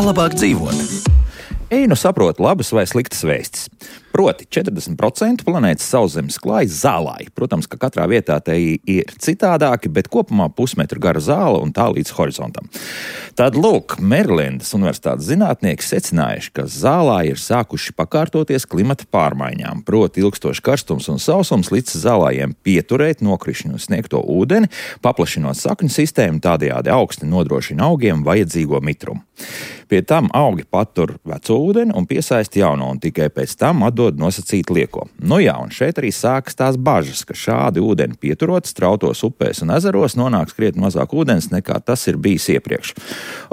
Kā labāk dzīvot? Nu saprotu labas vai sliktas vēstis. Proti, 40% planētas sauszemes klājas zālāji. Protams, ka katrā vietā te ir citādāki, bet kopumā pusmetru gara zāle un tā līdz horizontam. Tad, lūk, Merilendas universitātes zinātnieki secinājuši, ka zālāji ir sākuši pakārtoties klimata pārmaiņām. Proti, ilgstošs karstums un sausums līdz zālājiem pieturēt nokrišņu sniegto ūdeni, paplašinot sakņu sistēmu, tādējādi augsti nodrošina augiem vajadzīgo mitrumu. Pie tam augi patur veco ūdeni un piesaista jauno, un tikai pēc tam atdod nosacītu lieko. Nu jā, un šeit arī sākas tās bažas, ka šādi ūdeni pieturot strautos upēs un ezeros nonāks krietni mazāk ūdens nekā tas ir bijis iepriekš.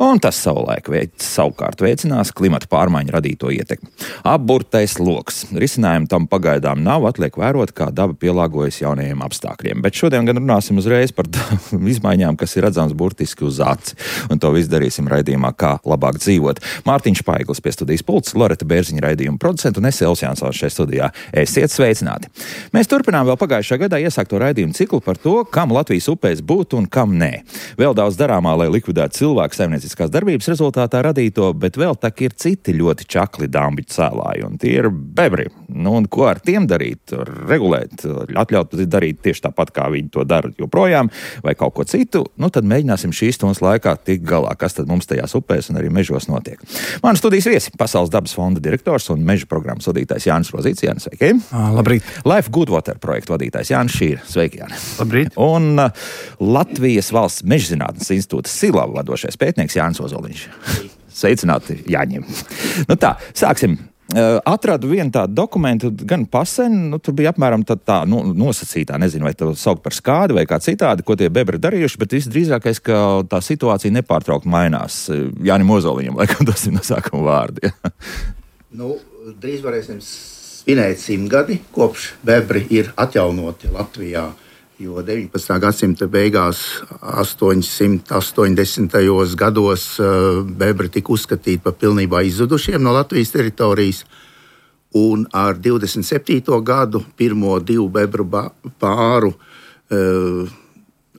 Un tas savukārt veicinās klimata pārmaiņu radīto ietekmi. Apburtais loks. Risinājumu tam pagaidām nav, atliek vērot, kā daba pielāgojas jaunajiem apstākļiem. Bet šodien gan runāsim uzreiz par izmaiņām, kas ir redzams burtiski uz aci. Un to visu darīsim raidījumā Kā labāk dzīvot. Mārtiņš Paiglis pie studijas pults, Loreta Bērziņa raidījuma producenta un es Elvis Jansons šeit studijā. Esiet sveicināti! Mēs turpinām vēl pagājušā gadā iesākto raidījumu ciklu par to, kam Latvijas upēs būt un kam nē. Vēl daudz darāmā, lai likvidētu cilvēku saimnieciskās darbības rezultātā radīto, bet vēl tak ir citi ļoti čakli dambiķu cēlāji, un tie ir bebri. Nu, un ko ar tiem darīt? Regulēt, atļaut darīt tieši tāpat, kā viņi to dara joprojām, vai kaut ko citu? Nu, tad mēģināsim šīs stundas laikā tikt galā, kas tad mums tajās upēs un arī mežos notiek. Mani studijas viesi - Pasaules dabas fonda direktors un meža programmas vadītājs Jānis Rozīts. Jānis, sveiki! Labrīt! Life Good Water projektu vadītājs Jānis Šīra. Sveiki, Jāni! Labrīt! Un Latvijas valsts mežzinātnes institūta Silava vadošais pētnieks Jānis Ozoliņš. Sveicināti, Jāņiem! Nu tā, sāksim. Atradu vienu tādu dokumentu, gan pasen, tur bija apmēram tā nosacītā, nezinu, vai to saukt par skādi vai kā citādi, ko tie bebri darījuši, bet visdrīzākais, ka tā situācija nepārtraukti mainās. Jānim Ozoliņam, laikam tas ir no sākuma vārdi. Drīz varēsim svinēt 100 gadi, kopš bebri ir atjaunoti Latvijā. Jo 19. gadsimta beigās, 880. gados, bebri tika uzskatīti par pilnībā izzudušiem no Latvijas teritorijas. Un ar 27. gadu pirmo 2 bebru pāru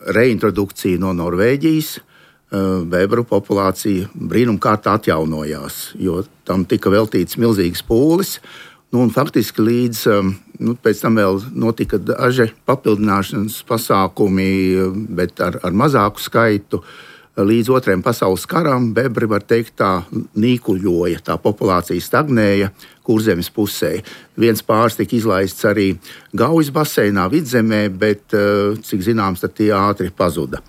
reintrodukciju no Norvēģijas, bebru populācija brīnumkārtā atjaunojās, jo tam tika veltīts milzīgs pūlis. Un faktiski līdz pēc tam vēl notika daži papildināšanas pasākumi, bet ar mazāku skaitu. Līdz Otrajam pasaules karam bebri, var teikt, tā nīkuļoja, tā populācija stagnēja Kurzemes pusē. Viens pāris tika izlaists arī Gaujas baseinā, Vidzemē, bet, cik zināms, tad tie ātri pazuda.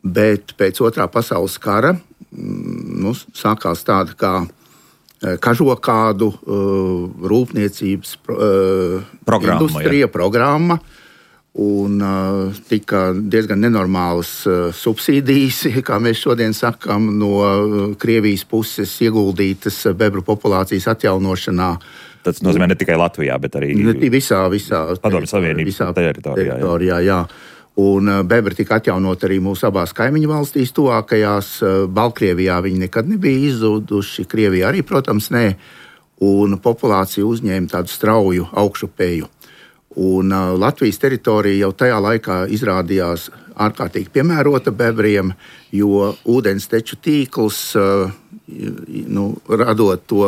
Bet pēc Otrā pasaules kara sākās tāda kā kažokādu rūpniecības programma, un tika diezgan nenormālas subsīdijas, kā mēs šodien sakām, no Krievijas puses ieguldītas bebru populācijas atjaunošanā. Tas nozīmē ne tikai Latvijā, bet arī visā Padomju Savienības teritorijā. Jā. Un bebri tika atjaunot arī mūsu abās kaimiņu valstīs tuvākajās. Baltkrievijā viņi nekad nebija izzuduši, Krievijā arī, protams, nē. Un populācija uzņēma tādu strauju augšupēju. Un Latvijas teritorija jau tajā laikā izrādījās ārkārtīgi piemērota bebriem, jo ūdens teču tīkls, radot to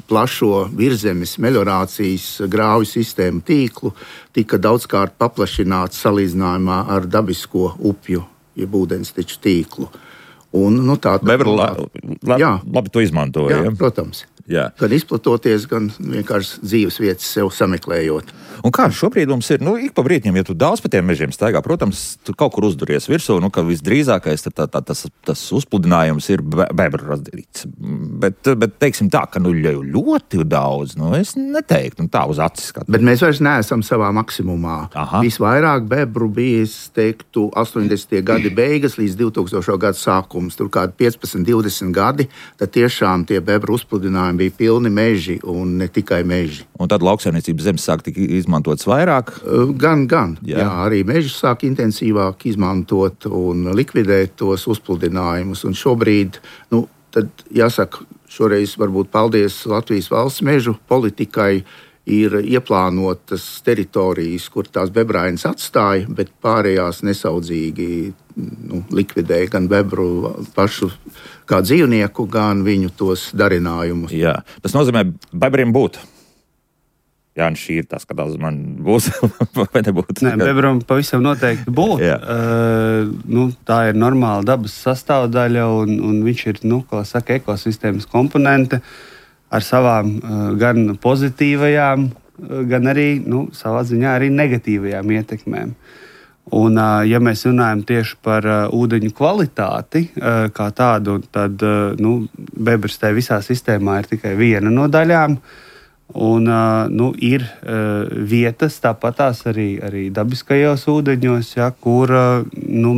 plašo virzemes meliorācijas grāvju sistēmu tīklu, tika daudzkārt paplašināts salīdzinājumā ar dabisko upju, jeb ūdens teču tīklu. Un, bebri labi to izmantoja. Jā, protams. Jā. Gan izplatoties, gan vienkārši dzīves vietas sev sameklējot. Un kā šobrīd mums ir, ik pa brītņiem, ja tu daudz pa tiem mežiem staigā, protams, tu kaut kur uzduries virsū, ka visdrīzākais tas uzpludinājums ir bebru radīts. Bet teiksim tā, ka ļoti daudz, es neteiktu, tā uz acis skatu. Bet mēs vairs neesam savā maksimumā. Aha. Visvairāk bebru bija, es teiktu, 80. gadi beigas līdz 2000. gadu sākums, tur kādi 15-20 gadi, tad tiešām tie bebru uzpludinājumi bija pilni meži un ne tikai meži. Un tad lauksaimniecības zemes sāk tik izmantotas vairāk? Gan. Jā, arī meži sāk intensīvāk izmantot un likvidēt tos uzpludinājumus. Un šobrīd, tad jāsaka, šoreiz varbūt paldies Latvijas valsts mežu politikai, ir ieplānotas teritorijas, kur tās bebrainas atstāja, bet pārējās nesaudzīgi likvidē gan bebru pašu kā dzīvnieku, gan viņu tos darinājumus. Jā, tas nozīmē, bebriem būt. Jā, šī ir tas, ka man būs vai nebūs. Nē, bebram pavisam noteikti būt. Tā ir normāla dabas sastāvdaļa, un viņš ir, kā saka, ekosistēmas komponente ar savām gan pozitīvajām, gan arī, savā ziņā arī negatīvajām ietekmēm. Un, ja mēs runājam tieši par ūdeņu kvalitāti kā tādu, tad bebrs tajā visā sistēmā ir tikai viena no daļām. Un, ir vietas, tāpatās arī dabiskajos ūdeņos, kur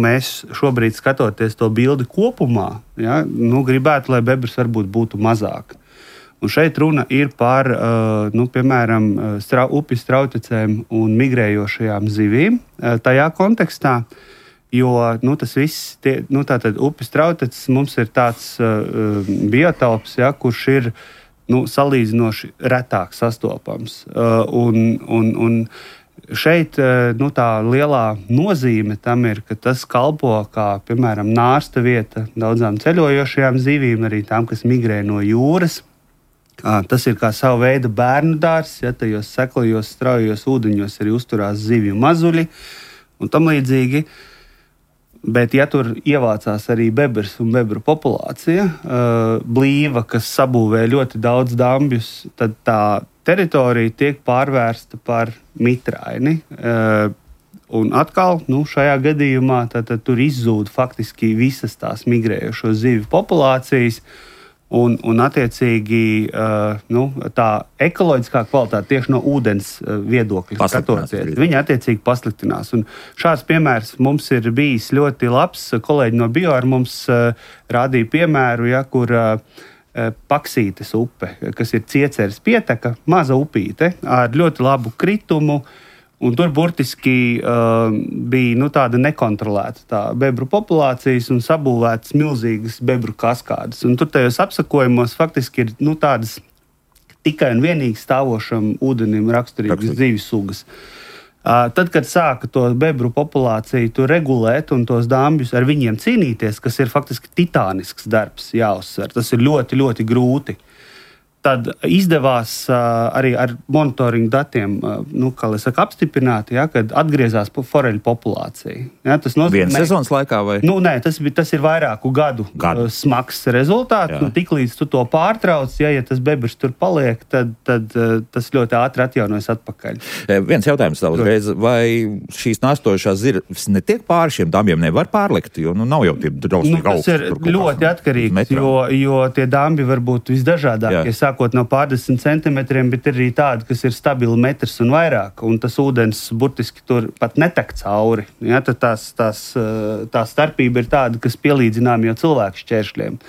mēs šobrīd skatoties to bildi kopumā, gribētu, lai bebrs varbūt būtu mazāk. Un šeit runa ir par, piemēram, upju strautecēm un migrējošajām zivīm tajā kontekstā, jo tas viss, tātad upju strauteces mums ir tāds biotops, kurš ir salīdzinoši retāk sastopams. Un šeit tā lielā nozīme tam ir, ka tas kalpo kā, piemēram, nārsta vieta daudzām ceļojošajām zivīm, arī tām, kas migrē no jūras. Tas ir kā sava veida bērnu dārzs, tajos seklajos, straujos ūdeņos arī uzturās zivju mazuļi un tam līdzīgi. Bet, ja tur ievācās arī bebrs un bebru populācija, blīva, kas sabūvē ļoti daudz dambjus, tad tā teritorija tiek pārvērsta par mitraini. Un atkal, šajā gadījumā tad tur izzūd faktiski visas tās migrējošo zivju populācijas. Un attiecīgi tā ekoloģiskā kvalitāte tieši no ūdens viedokļa skatoties, viņa attiecīgi pasliktinās. Un šāds piemērs mums ir bijis ļoti labs. Kolēģi no Bioar mums rādīja piemēru, kur Paksītes upe, kas ir Cieceres pieteka, maza upīte ar ļoti labu kritumu. Un tur burtiski bija tāda nekontrolēta tā bebru populācijas un sabūvētas milzīgas bebru kaskādes. Un tur tajos apsakojumos faktiski ir tādas tikai un vienīgi stāvošam ūdenim raksturīgas dzīves sugas. Tad, kad sāka to bebru populāciju regulēt un tos dambjus ar viņiem cīnīties, kas ir faktiski titānisks darbs, jāuzsver, tas ir ļoti, ļoti grūti. Tad izdevās arī ar monitoringu datiem, apstiprināt, kad atgriezās foreļu populācija. Tas nozīmē, vienas sezonas laikā vai? Nē, tas ir vairāku gadu smags rezultāts. Tiklīdz tu to pārtrauc, ja tas bebrs tur paliek, tad tas ļoti ātri atjaunojas atpakaļ. Viens jautājums tā uzreiz, vai šīs nārstojušās zirves netiek pāri šiem dambjiem, nevar pārlikt, jo nav jau tie drausmīgi augsti. Tas ir ļoti atkarīgs, jo tie dambi var būt visdažādākie. Sākot no pārdesmit centimetriem, bet ir arī tādi, kas ir stabili metrs un vairāk, un tas ūdens burtiski tur pat netek cauri. Tad tā starpība ir tāda, kas pielīdzinām jau cilvēku šķēršļiem.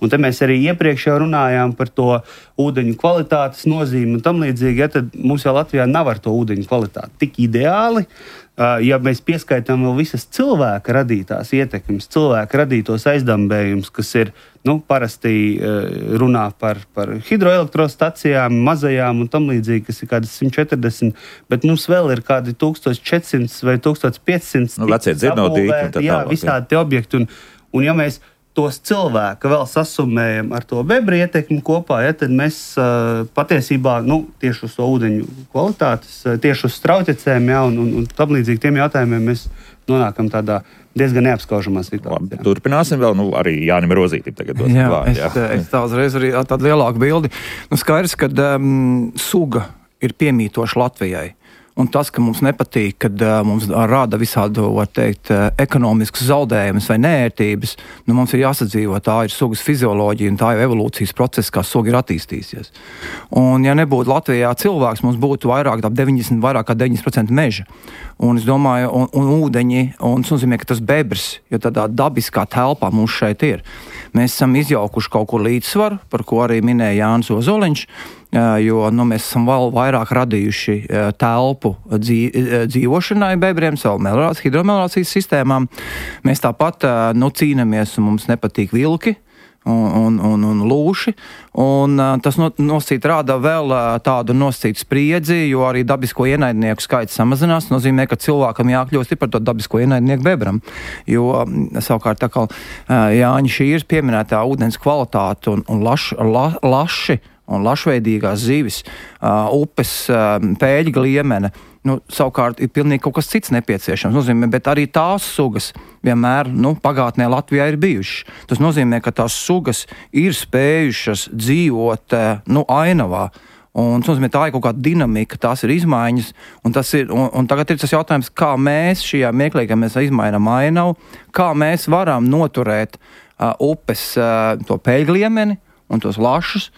Un te mēs arī iepriekš jau runājām par to ūdeņu kvalitātes nozīmi un tam līdzīgi, tad mums jau Latvijā nav ar to ūdeņu kvalitāti tik ideāli. Ja mēs pieskaitām vēl visas cilvēka radītās ietekmes, cilvēka radītos aizdambējumus, kas ir, parasti runā par hidroelektrostacijām, mazajām un tam līdzīgi, kas ir kādas 140, bet mums vēl ir kādi 1400 vai 1500 vecie dzirnaudīti un tā tālāk. Visādi tie objekti. Un ja mēs tos cilvēku vēl sasumējam ar to bebru ietekmi kopā, tad mēs patiesībā tieši uz to ūdeņu kvalitātes, tieši uz strautecēm un tam līdzīgi tiem jautājumiem mēs nonākam tādā diezgan neapskaužamā situācijā. Turpināsim vēl, arī Jānim Rozītim tagad dos vārdu. Es tā uzreiz arī tādu lielāku bildi. Skaidrs, ka suga ir piemītoša Latvijai. Un tas, ka mums nepatīk, kad mums rada visādu, var teikt, ekonomiskus zaudējumus vai nērtības, mums ir jāsadzīvo. Tā ir sugas fizioloģija un tā ir evolūcijas process, kā suga ir attīstījusies. Un ja nebūtu Latvijā cilvēks, mums būtu vairāk kā 90% meža. Un es domāju, un ūdeņi, un tas nozīmē, ka tas bebrs, jo tādā dabiskā telpā mums šeit ir. Mēs esam izjaukuši kaut kur līdzsvaru, par ko arī minēja Jānis Ozoliņš, jo mēs esam vēl vairāk radījuši telpu dzīvošanai bebriem, savu hidromelorācijas sistēmām. Mēs tāpat cīnamies, un mums nepatīk vilki. un lūši, un tas nosacīt rāda vēl tādu nosacītu spriedzi, jo arī dabisko ienaidnieku skaits samazinās, nozīmē, ka cilvēkam jākļūst par to dabisko ienaidnieku bebram, jo savukārt tā kā Jāņa Šīrs pieminētā ūdens kvalitāte un laši un lašveidīgās zivis, upes, pēļga liemene, savukārt ir pilnīgi kaut kas cits nepieciešams. Nozīmē, bet arī tās sugas vienmēr, pagātnē Latvijā ir bijušas. Tas nozīmē, ka tās sugas ir spējušas dzīvot, ainavā. Un tas nozīmē, tā ir kaut kāda dinamika, tās ir izmaiņas, un tagad ir tas jautājums, kā mēs šajā mieklīgā mēs izmainām ainavu, kā mēs varam noturēt upes to pēļga liemeni un tos lašus,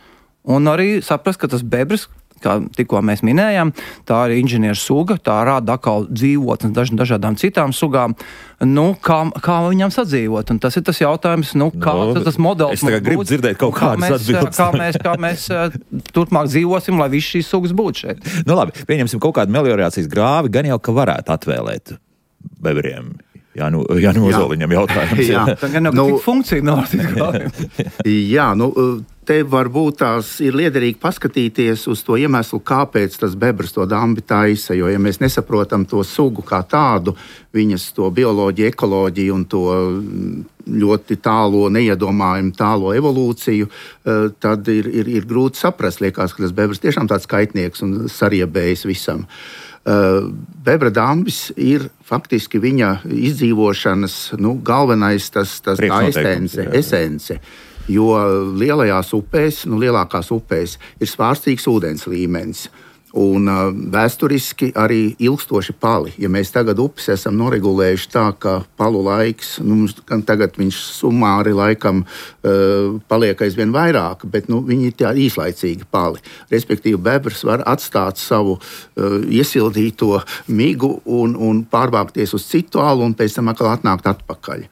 un arī saprast, ka tas bebrs, kā tikko mēs minējām, tā ir inženieru suga, tā rāda atkal dzīvotnes dažādām citām sugām. Kā viņam sadzīvot? Un tas ir tas jautājums, kāds tas modelis. Es tagad gribu dzirdēt kaut kādas atbildes. Kā mēs turpmāk dzīvosim, lai viss šīs sugas būtu šeit. Labi, pieņemsim kaut kādu meliorācijas grāvi, gan jau, ka varētu atvēlēt bebriem. Ozoliņam jautājums. Tā gan nav tik funkcija meliorācijas grāvim. Te varbūt tās ir liederīgi paskatīties uz to iemeslu, kāpēc tas bebrs to dambi taisa, jo, ja mēs nesaprotam to sugu kā tādu, viņas to bioloģiju, ekoloģiju un to ļoti tālo, neiedomājumu tālo evolūciju, tad ir grūti saprast, liekas, ka tas bebrs tiešām tāds kaitnieks un sariebējis visam. Bebra dambis ir faktiski viņa izdzīvošanas galvenais esence. Jo lielajās upēs, lielākās upēs ir svārstīgs ūdens līmenis un vēsturiski arī ilgstoši pali. Ja mēs tagad upes esam noregulējuši tā, ka palu laiks, tagad viņš sumāri laikam paliek aizvien vairāk, bet viņi ir tā īslaicīgi pali. Respektīvi, bebrs var atstāt savu iesildīto migu un pārvākties uz citu alu un pēc tam atkal atnākt atpakaļ.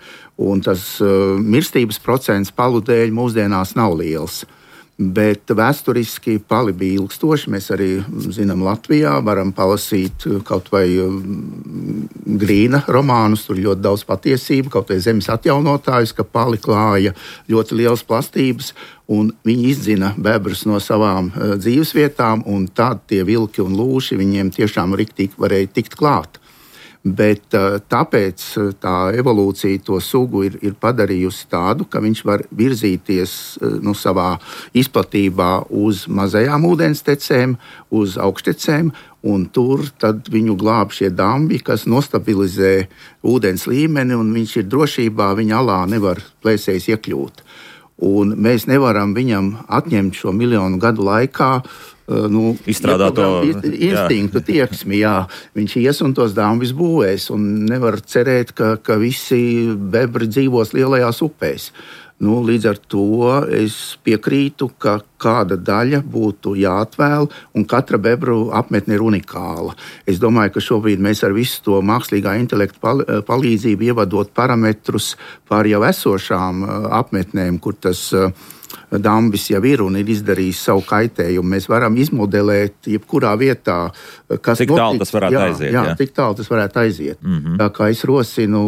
Un tas mirstības procents palu dēļ mūsdienās nav liels. Bet vēsturiski pali bija ilgstoši. Mēs arī zinām, Latvijā varam palasīt kaut vai Grīna romānus, tur ļoti daudz patiesību, kaut vai zemes atjaunotājus, ka pali klāja ļoti lielas plastības, un viņi izdzina bebrus no savām dzīvesvietām, un tad tie vilki un lūši viņiem tiešām riktīgi varēja tikt klāt. Bet tāpēc tā evolūcija to sugu ir padarījusi tādu, ka viņš var virzīties savā izplatībā uz mazajām ūdenstecēm, uz augštecēm, un tur tad viņu glāb šie dambi, kas nostabilizē ūdens līmeni, un viņš ir drošībā, viņa alā nevar plēsējs iekļūt. Un mēs nevaram viņam atņemt šo miljonu gadu laikā izstrādāt to instinktu, tieksmi, viņš ies un tos dambis būvēs, un nevar cerēt, ka visi bebri dzīvos lielajās upēs. Līdz ar to es piekrītu, ka kāda daļa būtu jāatvēl, un katra bebru apmetne ir unikāla. Es domāju, ka šobrīd mēs ar visu to mākslīgā intelekta palīdzību ievadot parametrus par jau esošām apmetnēm, kur tas dambis jau ir un ir izdarījis savu kaitējumu. Mēs varam izmodelēt jebkurā vietā, kas cik tālu tas varētu aiziet. Cik tālu tas varētu aiziet. Tā kā es rosinu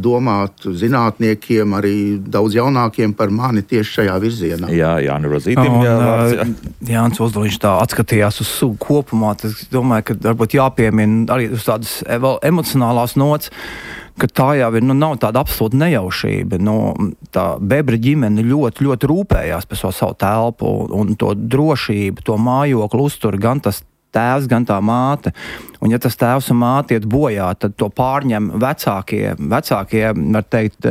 domāt zinātniekiem, arī daudz jaunākiem par mani tieši šajā virzienā. Jānis Rozītim. Jānis Ozoliņš tā atskatījās uz sugu kopumā. Es domāju, ka varbūt jāpiemina arī uz tādas emocionālās nots, ka tā jau ir, nav tāda absolūta nejaušība. Tā bebra ģimene ļoti, ļoti rūpējās par savu telpu un to drošību, to mājokli uztur gan tas tēvs, gan tā māte. Un ja tas tēvs un māte iet bojā, tad to pārņem vecākie, var teikt,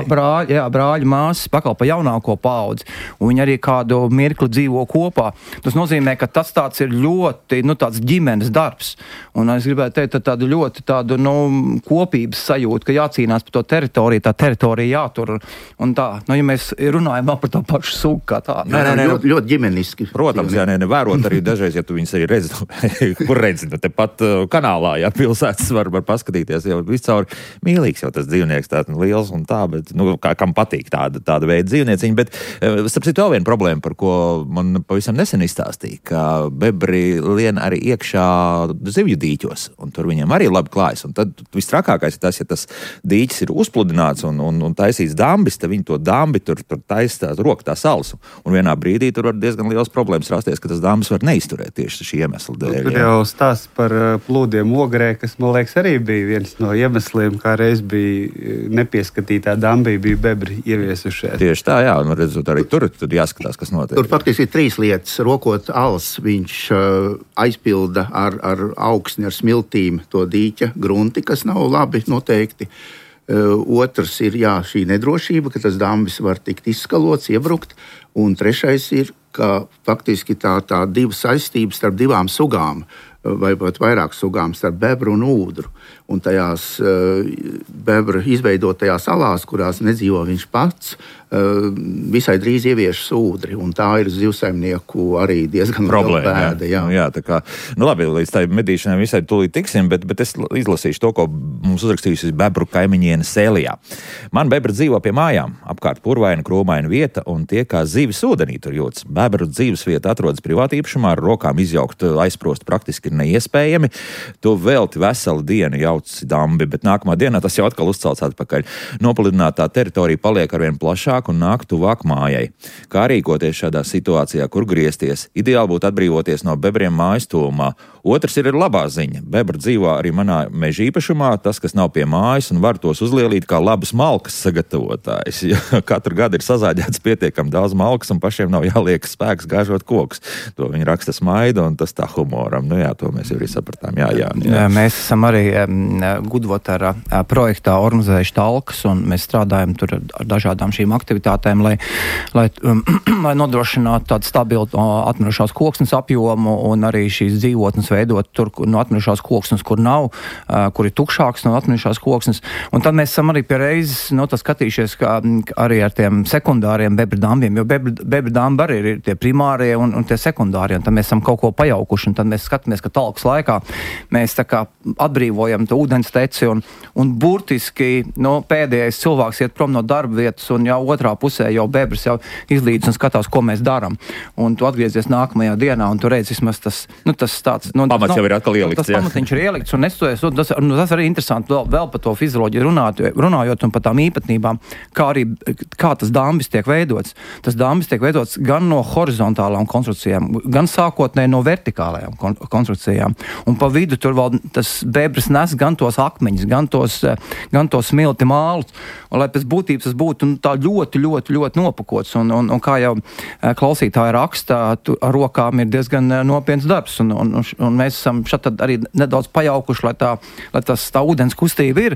brāļi, māsas, pakal pa jaunāko paudzi. Un viņi arī kādu mirkli dzīvo kopā. Tas nozīmē, ka tas tāds ir ļoti, tāds ģimenes darbs. Un es gribētu teikt, tādu ļoti kopības sajūtu, ka jācīnās par to teritoriju, tā teritorija jātur. Un tā, ja mēs runājam par to pašu sugu kā tā. Ļoti ģimeniski. Protams, nevērot arī dažreiz, ja tu viņus arī redzi, kur redzi, tepat kanālā, ja pilsētas var paskatīties, jau viscaur mīlīgs jau tas dzīvnieks, tāds liels un tā, bet, kam patīk tāda veida dzīvnieciņi, bet, starp citu, vēl viena problēma, par ko man pavisam nesen izstāstīja, ka bebri lien arī iekšā zivju dīķos, un tur viņiem arī labi klājas, un tad vistrakākais ir tas, ja tas dīķis ir uzpludināts un taisīts dambis, tad viņi to dambi tur taisa rokā salas, un vienā brīdī tur var diezgan liels problēmas rasties, ka tas dambis var neizturēt tieši šī iemesla dēļ. Tur jau stāsts par plūdiem Ogrē, kas, man liekas, arī bija viens no iemesliem, kā reiz bija nepieskatītā dambī, bija bebri ieviesušies. Tieši tā, jā, un redzot arī tur jāskatās, kas notiek. Tur faktiski ir 3 lietas. Rokot als, viņš aizpilda ar augsni, ar smiltīm to dīķa grunti, kas nav labi noteikti. Otrs ir šī nedrošība, ka tas dambis var tikt izskalots, iebrukt. Un trešais ir, ka faktiski tā divu saistības starp divām sugām, vai pat vairāk sugām, starp bebru un ūdru. Un tajās bebra izveidotajās salās, kurās nedzīvo viņš pats, visai drīz ievieš ūdri. Un tā ir zivsaimnieku arī diezgan liela bēda. Jā, tā kā, labi, līdz tai medīšanai visai tūlīt tiksim, bet es izlasīšu to, ko mums uzrakstījusi bebru kaimiņiene Sēlijā. Man bebra dzīvo pie mājām, apkārt purvaina, krūmaina vieta, un tie kā zivis ūdenī tur jūtas. Bebru dzīves vieta atrodas privātīpašumā, ar rokām izjaukt, aizsprost praktiski ir neiespējami. Tu velti veselu dienu jauci dambi, bet nākamā dienā tas jau atkal uzcelts atpakaļ. Nopludinātā teritorija paliek arvien plašāk un nāk tuvāk mājai. Kā rīkoties šādā situācijā, kur griezties? Ideāli būtu atbrīvoties no bebriem mājas tuvumā. Otrs ir labā ziņa. Bebra dzīvo arī manā meža īpašumā, tas, kas nav pie mājas, un var tos uzlielīt kā labas malkas sagatavotājs. Katru gadu ir sazāģēts pietiekami daudz malkas, un pašiem nav jāliek spēks gāžot kokus. To viņi raksta smaida, un tas tā humoram. To mēs jau arī sapratām. Jā. Mēs esam arī Gudvotara projektā organizējuši talkas, un mēs strādājam tur ar dažādām šīm aktivitātēm, lai nodrošinātu tādu stabilu atmirušās koksnes apjomu un arī šīs dzīvotnes veidot tur no atmirušās koksnes, kur nav, kur ir tukšāks no atmirušās koksnes. Un tad mēs esam arī pie reizes skatījušies arī ar tiem sekundāriem bebra dambiem, jo bebra dambi arī ir tie primārie un tie sekundārie, un tad mēs esam kaut ko pajaukuši, un tad mēs skatāmies, ka talkas laikā mēs tā kā atbrīvojam to ūdens teci, un burtiski pēdējais cilvēks iet prom no darba vietas, un jau otrā pusē jau bebrs jau izlīdz un skatās, ko mēs darām. Un tu atgriezies nākamajā dienā, un tu redz vismaz tas tāds... Pamats jau ir atkal ielikts. Tas pamatiņš ir ielikts, un tas arī interesanti vēl par to fizioloģiju runājot un par tām īpatnībām, kā tas dambis tiek veidots. Tas dambis tiek veidots gan no horizontālām konstrukcijām, gan sākotnēji no vertikālajām konstrukcijām. Un pa vidu tur vēl tas bebrs nes gan tos akmeņus, gan tos smilti mālus, un lai pēc būtības tas būtu tā ļoti, ļoti, ļoti nopakots. Un kā jau klausītāji raksta, ar rokām ir diezgan nopietns darbs, un mēs esam šeit arī nedaudz pajaukuši, lai tā ūdens kustība ir,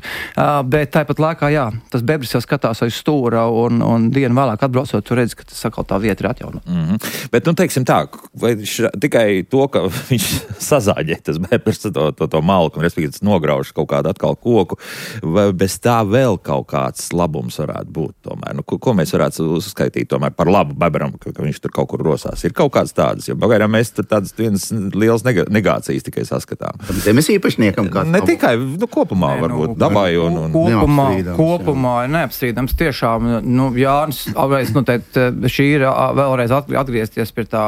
bet tāpat laikā, tas bebris jau skatās aiz stūra, un dienu vēlāk atbraucot, tu redzi, ka tas atkal tā vieta ir atjaunota. Bet, teiksim tā, vai tikai to, ka viņš sazāģē tas bebris to malku, un respektīvi tas nograuž kaut kādu atkal koku, vai bez tā vēl kaut kāds labums varētu būt tomēr? Ko mēs varētu uzskaitīt tomēr par labu bebram, ka viņš tur kaut kur rosās? Ir kaut kāds tādas, jo pagaidām mēs tur tādas vienas liels negācijas tikai saskatām. Zemes īpašniekam kāds? Ne tikai, kopumā varbūt dabai un... Kopumā ir neapstrīdams tiešām, Jānis, šī ir vēlreiz atgriezties pie tā,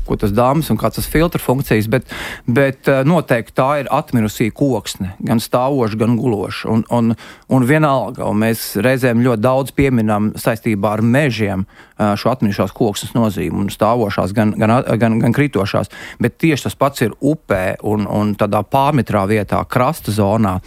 ko tas dambis un kāds tas filtra funkcijas, bet noteikti tā ir atmirusī koksne, gan stāvoša, gan guloša. Un vienalga, un mēs reizēm ļoti daudz pieminam saistībā ar mežiem šo atmirušās koksnes nozīmi, un stāvošās, gan kritošās, bet tieši tas pats ir upē un tādā pārmetrā vietā, krasta zonā.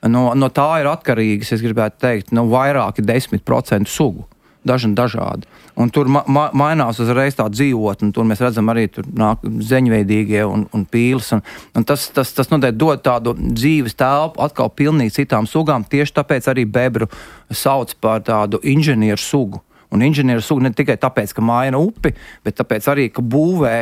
No tā ir atkarīgas, es gribētu teikt, vairāki 10% sugu. Dažādi. Un tur mainās uzreiz tā dzīvotne, un tur mēs redzam arī tur nāk zeņveidīgie un pīles, un tas noteikti dod tādu dzīves telpu atkal pilnīgi citām sugām, tieši tāpēc arī bebru sauc par tādu inženieru sugu. Un inženieru sugu ne tikai tāpēc, ka maina upi, bet tāpēc arī, ka būvē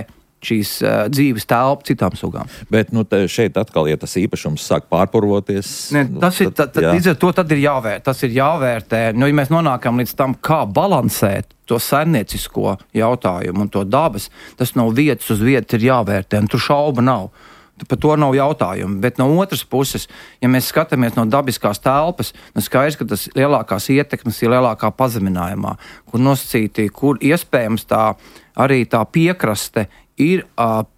šīs dzīves telpu citām sugām. Bet šeit atkal, ja tas īpašums sāk pārpurvoties... Līdz ar to tad ir jāvērtē. Tas ir jāvērtē. Ja mēs nonākam līdz tam, kā balansēt to saimniecisko jautājumu un to dabas, tas no vietas uz vietas ir jāvērtē, un tur šauba nav. Par to nav jautājumu. Bet no otras puses, ja mēs skatāmies no dabiskās telpas, skaidrs, ka tas lielākās ietekmes ir lielākā pazeminājumā, kur nosacīti, kur iespējams arī tā piekraste ir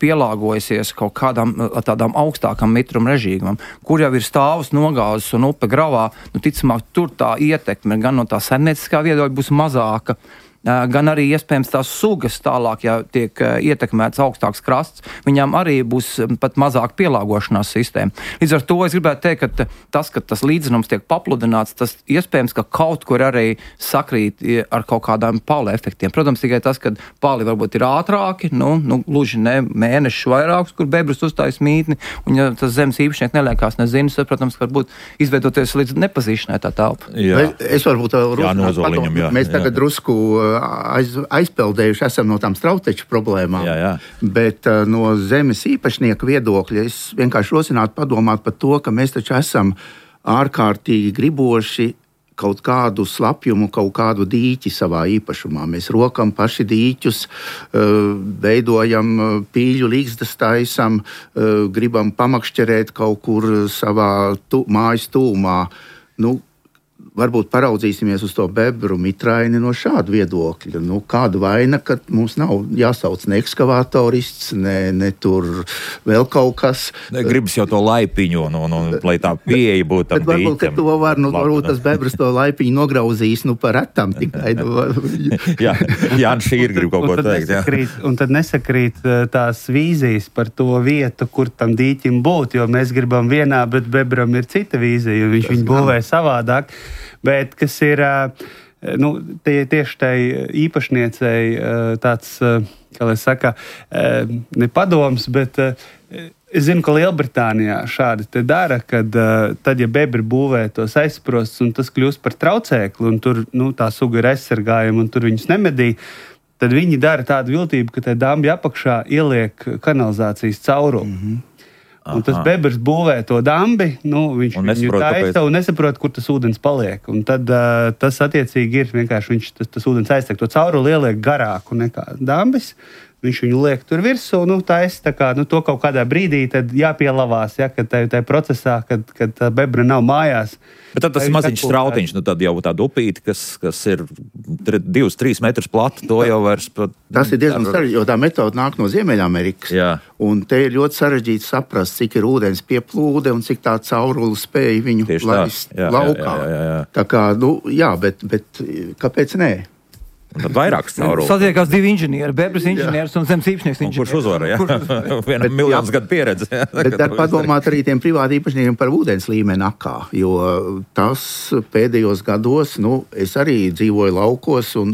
pielāgojusies kaut kādam tādām augstākam mitruma režīmam, kur jau ir stāvus nogāzes un upe gravā, ticamāk, tur tā ietekme gan no tā saimnieciskā viedokļa būs mazāka, gan arī iespējams tās sugas tālāk, ja tiek ietekmēts augstāks krasts, viņām arī būs pat mazāk pielāgošanās sistēma. Līdz ar to es gribētu teikt, ka tas līdzinums tiek papludināts, tas iespējams, ka kaut kur arī sakrīt ar kaut kādām pāli efektiem. Protams, tikai tas, ka pāli varbūt ir ātrāki, gluži ne mēnešus vairākus, kur bebrus uzstājas mītni, un ja tas zemes īpašnieks neliekās nezinis, tad, protams, varbūt izveidoties līdz nepazīšanai tā telpa. Es varbūt mēs tagad drusku aizpeldējuši esam no tām strauteču problēmām, bet no zemes īpašnieka viedokļa es vienkārši rosinātu padomāt par to, ka mēs taču esam ārkārtīgi griboši kaut kādu slapjumu, kaut kādu dīķi savā īpašumā. Mēs rokam paši dīķus, veidojam pīļu līgstas taisam, gribam pamakšķerēt kaut kur savā mājas tūmā. Varbūt paraudzīsimies uz to bebru mitraini no šāda viedokļa. Kāda vaina, ka mums nav jāsauc ne ekskavatorists, ne tur vēl kaut kas. Gribas jau to laipiņu, lai tā pieeja būtu tam dīķam. Varbūt, ka to var, varbūt tas bebras to laipiņu nograuzīs, par retam tikai. Jā, šī ir grib kaut ko teikt. Un tad nesakrīt tās vīzijas par to vietu, kur tam dīķim būt, jo mēs gribam vienā, bet bebram ir cita vīzija, jo viņš viņu būvē savādāk. Bet kas ir tieši tai īpašniecei tāds, kā lai saka, ne padoms, bet es zinu, ka Lielbritānijā šādi te dara, kad tad, ja bebri būvē tos aizsprostus un tas kļūst par traucēkli un tur tā suga ir aizsargājama un tur viņus nemedī, tad viņi dara tādu viltību, ka tai dambi apakšā ieliek kanalizācijas caurumu. Un tas bebrs būvē to dambi, viņš viņu taisa un nesaprot, kur tas ūdens paliek. Un tad tas attiecīgi ir vienkārši tas ūdens aiztek. To cauruli ieliek garāku nekā dambis. Viņš viņu liek tur virsū, taisa to kaut kādā brīdī tad jāpielavās, kad tajā procesā, kad tā bebra nav mājās. Bet tad tas maziņš strautiņš, tad jau tāda upīte, kas ir 2-3 metrus plata, to jau vairs pat... Tas ir diezgan sarežģīti, jo tā metode nāk no Ziemeļamerikas. Un te ir ļoti sarežģīti saprast, cik ir ūdens pieplūde un cik tā caurula spēja viņu laist laukā. Tā kā, bet kāpēc nē? Tad vairākas caurules. Satiekās divi inženieri, bebras inženieris un zemes īpašnieks inženieris. Kurš uzvara, Vienam miljonus gadu pieredze. Bet dar padomāt arī tiem privāti īpašniekiem par ūdens līmeni akā, jo tas pēdējos gados, es arī dzīvoju laukos un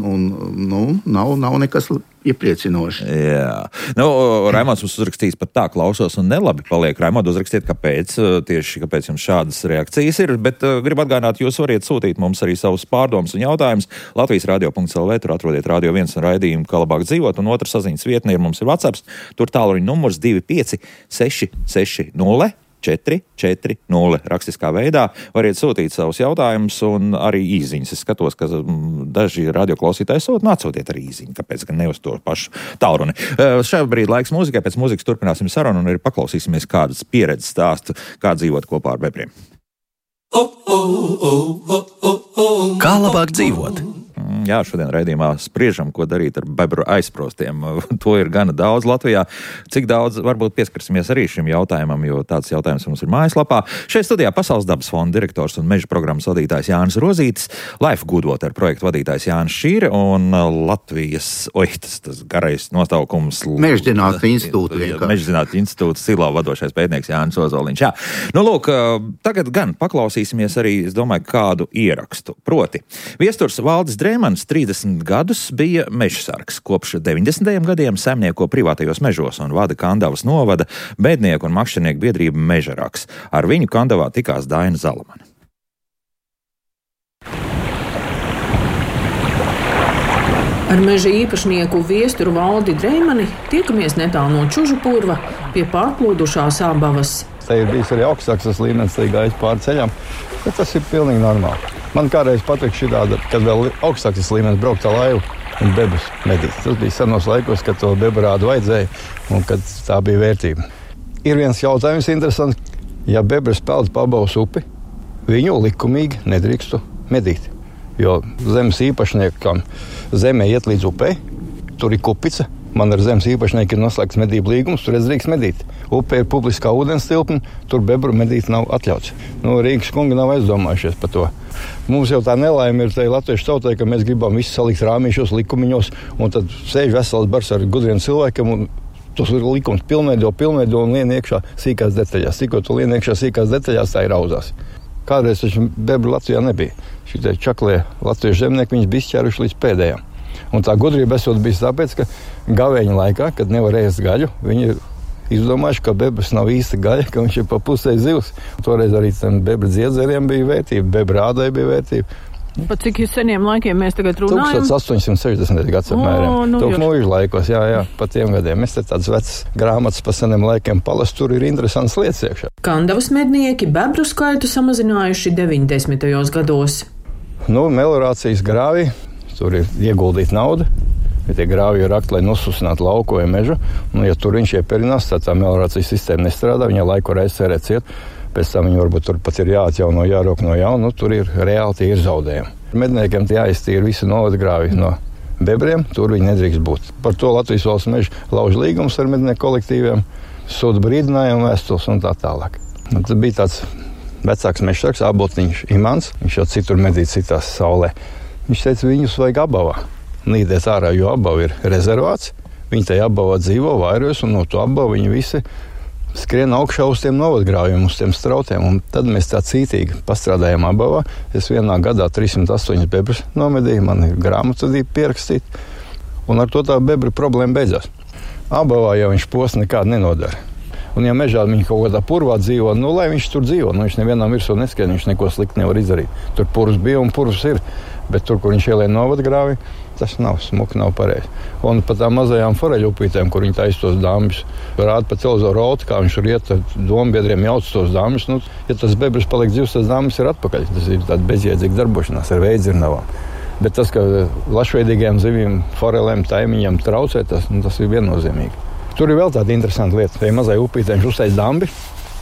nav nekas iepriecinoši. Jā. Raimonds mums uzrakstīs pat tā, klausos un nelabi paliek. Raimond, uzrakstiet, kāpēc jums šādas reakcijas ir, bet gribu atgādināt, jūs variet sūtīt mums arī savus pārdomus un jautājumus. Latvijas radio.lv, tur atrodiet Radio 1 un raidījumu, kā labāk dzīvot, un otra saziņas vietne ir mums ir WhatsApp, tur tālruņa numurs 25 660 440 rakstiskā veidā. Variet sūtīt savus jautājumus un arī īziņas. Es skatos, ka daži radioklausītāji atsūtiet arī īziņu, kāpēc gan ne uz to pašu tālruni. Šajā brīdī laiks mūzikai, pēc mūzikas turpināsim sarunu un arī paklausīsimies kādas pieredzes stāstu, kā dzīvot kopā ar bebriem. Kā labāk dzīvot? Jā, šodien raidījumā spriežam, ko darīt ar bebru aizsprostiem. To ir gana daudz Latvijā. Cik daudz, varbūt pieskarsimies arī šim jautājumam, jo tāds jautājums mums ir mājaslapā. Šeit studijā Pasaules dabas fonda direktors un meža programmas vadītājs Jānis Rozītis, Life Goodwater projektu vadītājs Jānis Šīre un Latvijas, tas garais nosaukums. Mežzinātņu institūta vienkārši. Mežzinātņu institūta Silā vadošais pētnieks Jānis Ozoliņš. Jā. Lūk, tagad gan paklausīsimies arī, es domāju, kādu ierakstu. Proti, viesturs Valdis Drēmans 30 gadus bija mežsargs. Kopš 90. gadiem saimnieko privātajos mežos un vada Kandavas novada Bēdnieku un makšķernieku biedrība Mežaraks. Ar viņu Kandavā tikās Daina Zalamane. Ar meža īpašnieku viesturu Valdi Drēmani tiekamies netālu no Čužupurva pie pārplūdušā Sābavas. Te ir bijis arī augstāks līmenis, te gājis pāri ceļam, bet tas ir pilnīgi normāli. Man kādreiz patīk šitāda, kad vēl augstāks līmenis braukt ar laivu un bebrus medīt. Tas bija senos laikos, kad to bebrādu vajadzēja un kad tā bija vērtība. Ir viens jautājums interesants. Ja bebras peld pa Abavas upi, viņu likumīgi nedrīkstu medīt. Jo zemes īpašniekam zemē iet līdz upei, tur ir kupica. Man ar zemes īpašnieku ir noslēgts medību līgums, tur es drīkst medīt. Upē ir publiskā ūdens tilpne, tur bebru medīt nav atļauts. Rīgas kungi nav aizdomājušies par to. Mums jau tā nelaime ir tai latviešu tautai, ka mēs gribam visu salikt rāmīšos, likumiņos, un tad sēž vesels bars ar gudriem cilvēkiem, un tos likums pilnveido un lien iekšā sīkās detaļās. Tikko tu lien iekšā sīkās detaļās, tā ir auzās. Kādreiz taču bebru Latvijā nebija. Šitie čaklie latviešu zemnieki, viņus bija izķēruši līdz pēdējām. Un tā gudrība esot bijis tāpēc, ka gavēņa laikā, kad nevar ēst gaļu, viņi ir izdomājuši, ka bebras nav īsta gaļa, ka viņš ir pa pusē zivs. Toreiz arī tam bebra dziedzeriem bija vērtība, bebra ādai bija vērtība. Pa cik seniem laikiem mēs tagad runājam? 1860. gads apmēram. Mūžu laikos, jā, pa tiem gadiem. Mēs te tāds vecs grāmatas pa seniem laikiem palas, tur ir interesants lietas iekšā. Kandavas mednieki bebru skaitu samazinājuši 90. gados. Meliorācijas grāvī. Tur ir ieguldīta nauda, ja tie grāvi ir rakti, lai nosusinātu lauku vai mežu. Ja tur viņš ieperinās, tad tā meliorācijas sistēma nestrādā, viņa laiku var aizsērēt ciet, pēc tam viņi varbūt tur pat ir jāatjauno, jārok no jauna, tur ir reāli tie ir zaudējumi. Medniekiem jāiztīra visi novadgrāvi no bebriem, tur viņi nedrīkst būt. Par to Latvijas valsts meža lauž līgums ar mednieku kolektīviem, sūta brīdinājumu vēstules un tā tālāk. Tad bija tāds vecāks mežsargs, Āboltiņš Imants, viņš jau citur medīt citās saulē. Viņš teica, viņus vajag Abavā nīdēt ārā, jo Abava ir rezervāts. Viņi tajā Abavā dzīvo, vairojas, un no to Abavu viņi visi skrien augšā uz tiem novadgrāviem, uz tiem strautiem. Un tad mēs tā cītīgi pastrādājām Abavā. Es vienā gadā 308 bebras nomedīju, man ir grāmatvedība pierakstīta. Un ar to tā bebra problēma beidzās. Abavā jau viņš post nekādu nenodara. Un ja mežā viņi kaut kādā purvā dzīvo, lai viņš tur dzīvo, viņš nevienam virsū neskrien, viņš neko slikti nevar izdarīt. Tur purvs bija un purvs ir. Bet tur, kur viņš ielien novadgrāvi, tas nav smuki, nav pareizi. Un pat tām mazajām foreļu upītēm, kur viņi taisa tos dambļus, rāda pa televizoru rauti, kā viņš tur iet ar dombiedriem jauc tos dambļus. Ja tas bebras paliek dzīvs, tas dambļus ir atpakaļ. Tas ir tāda bezjēdzīga darbošanās ar veidzirnavām. Bet tas, ka lašveidīgajām zivīm, forelēm, taimiņiem traucē, tas ir viennozīmīgi. Tur ir vēl tāda interesanta lieta. Tajā mazai upītē viņš uztais dambi,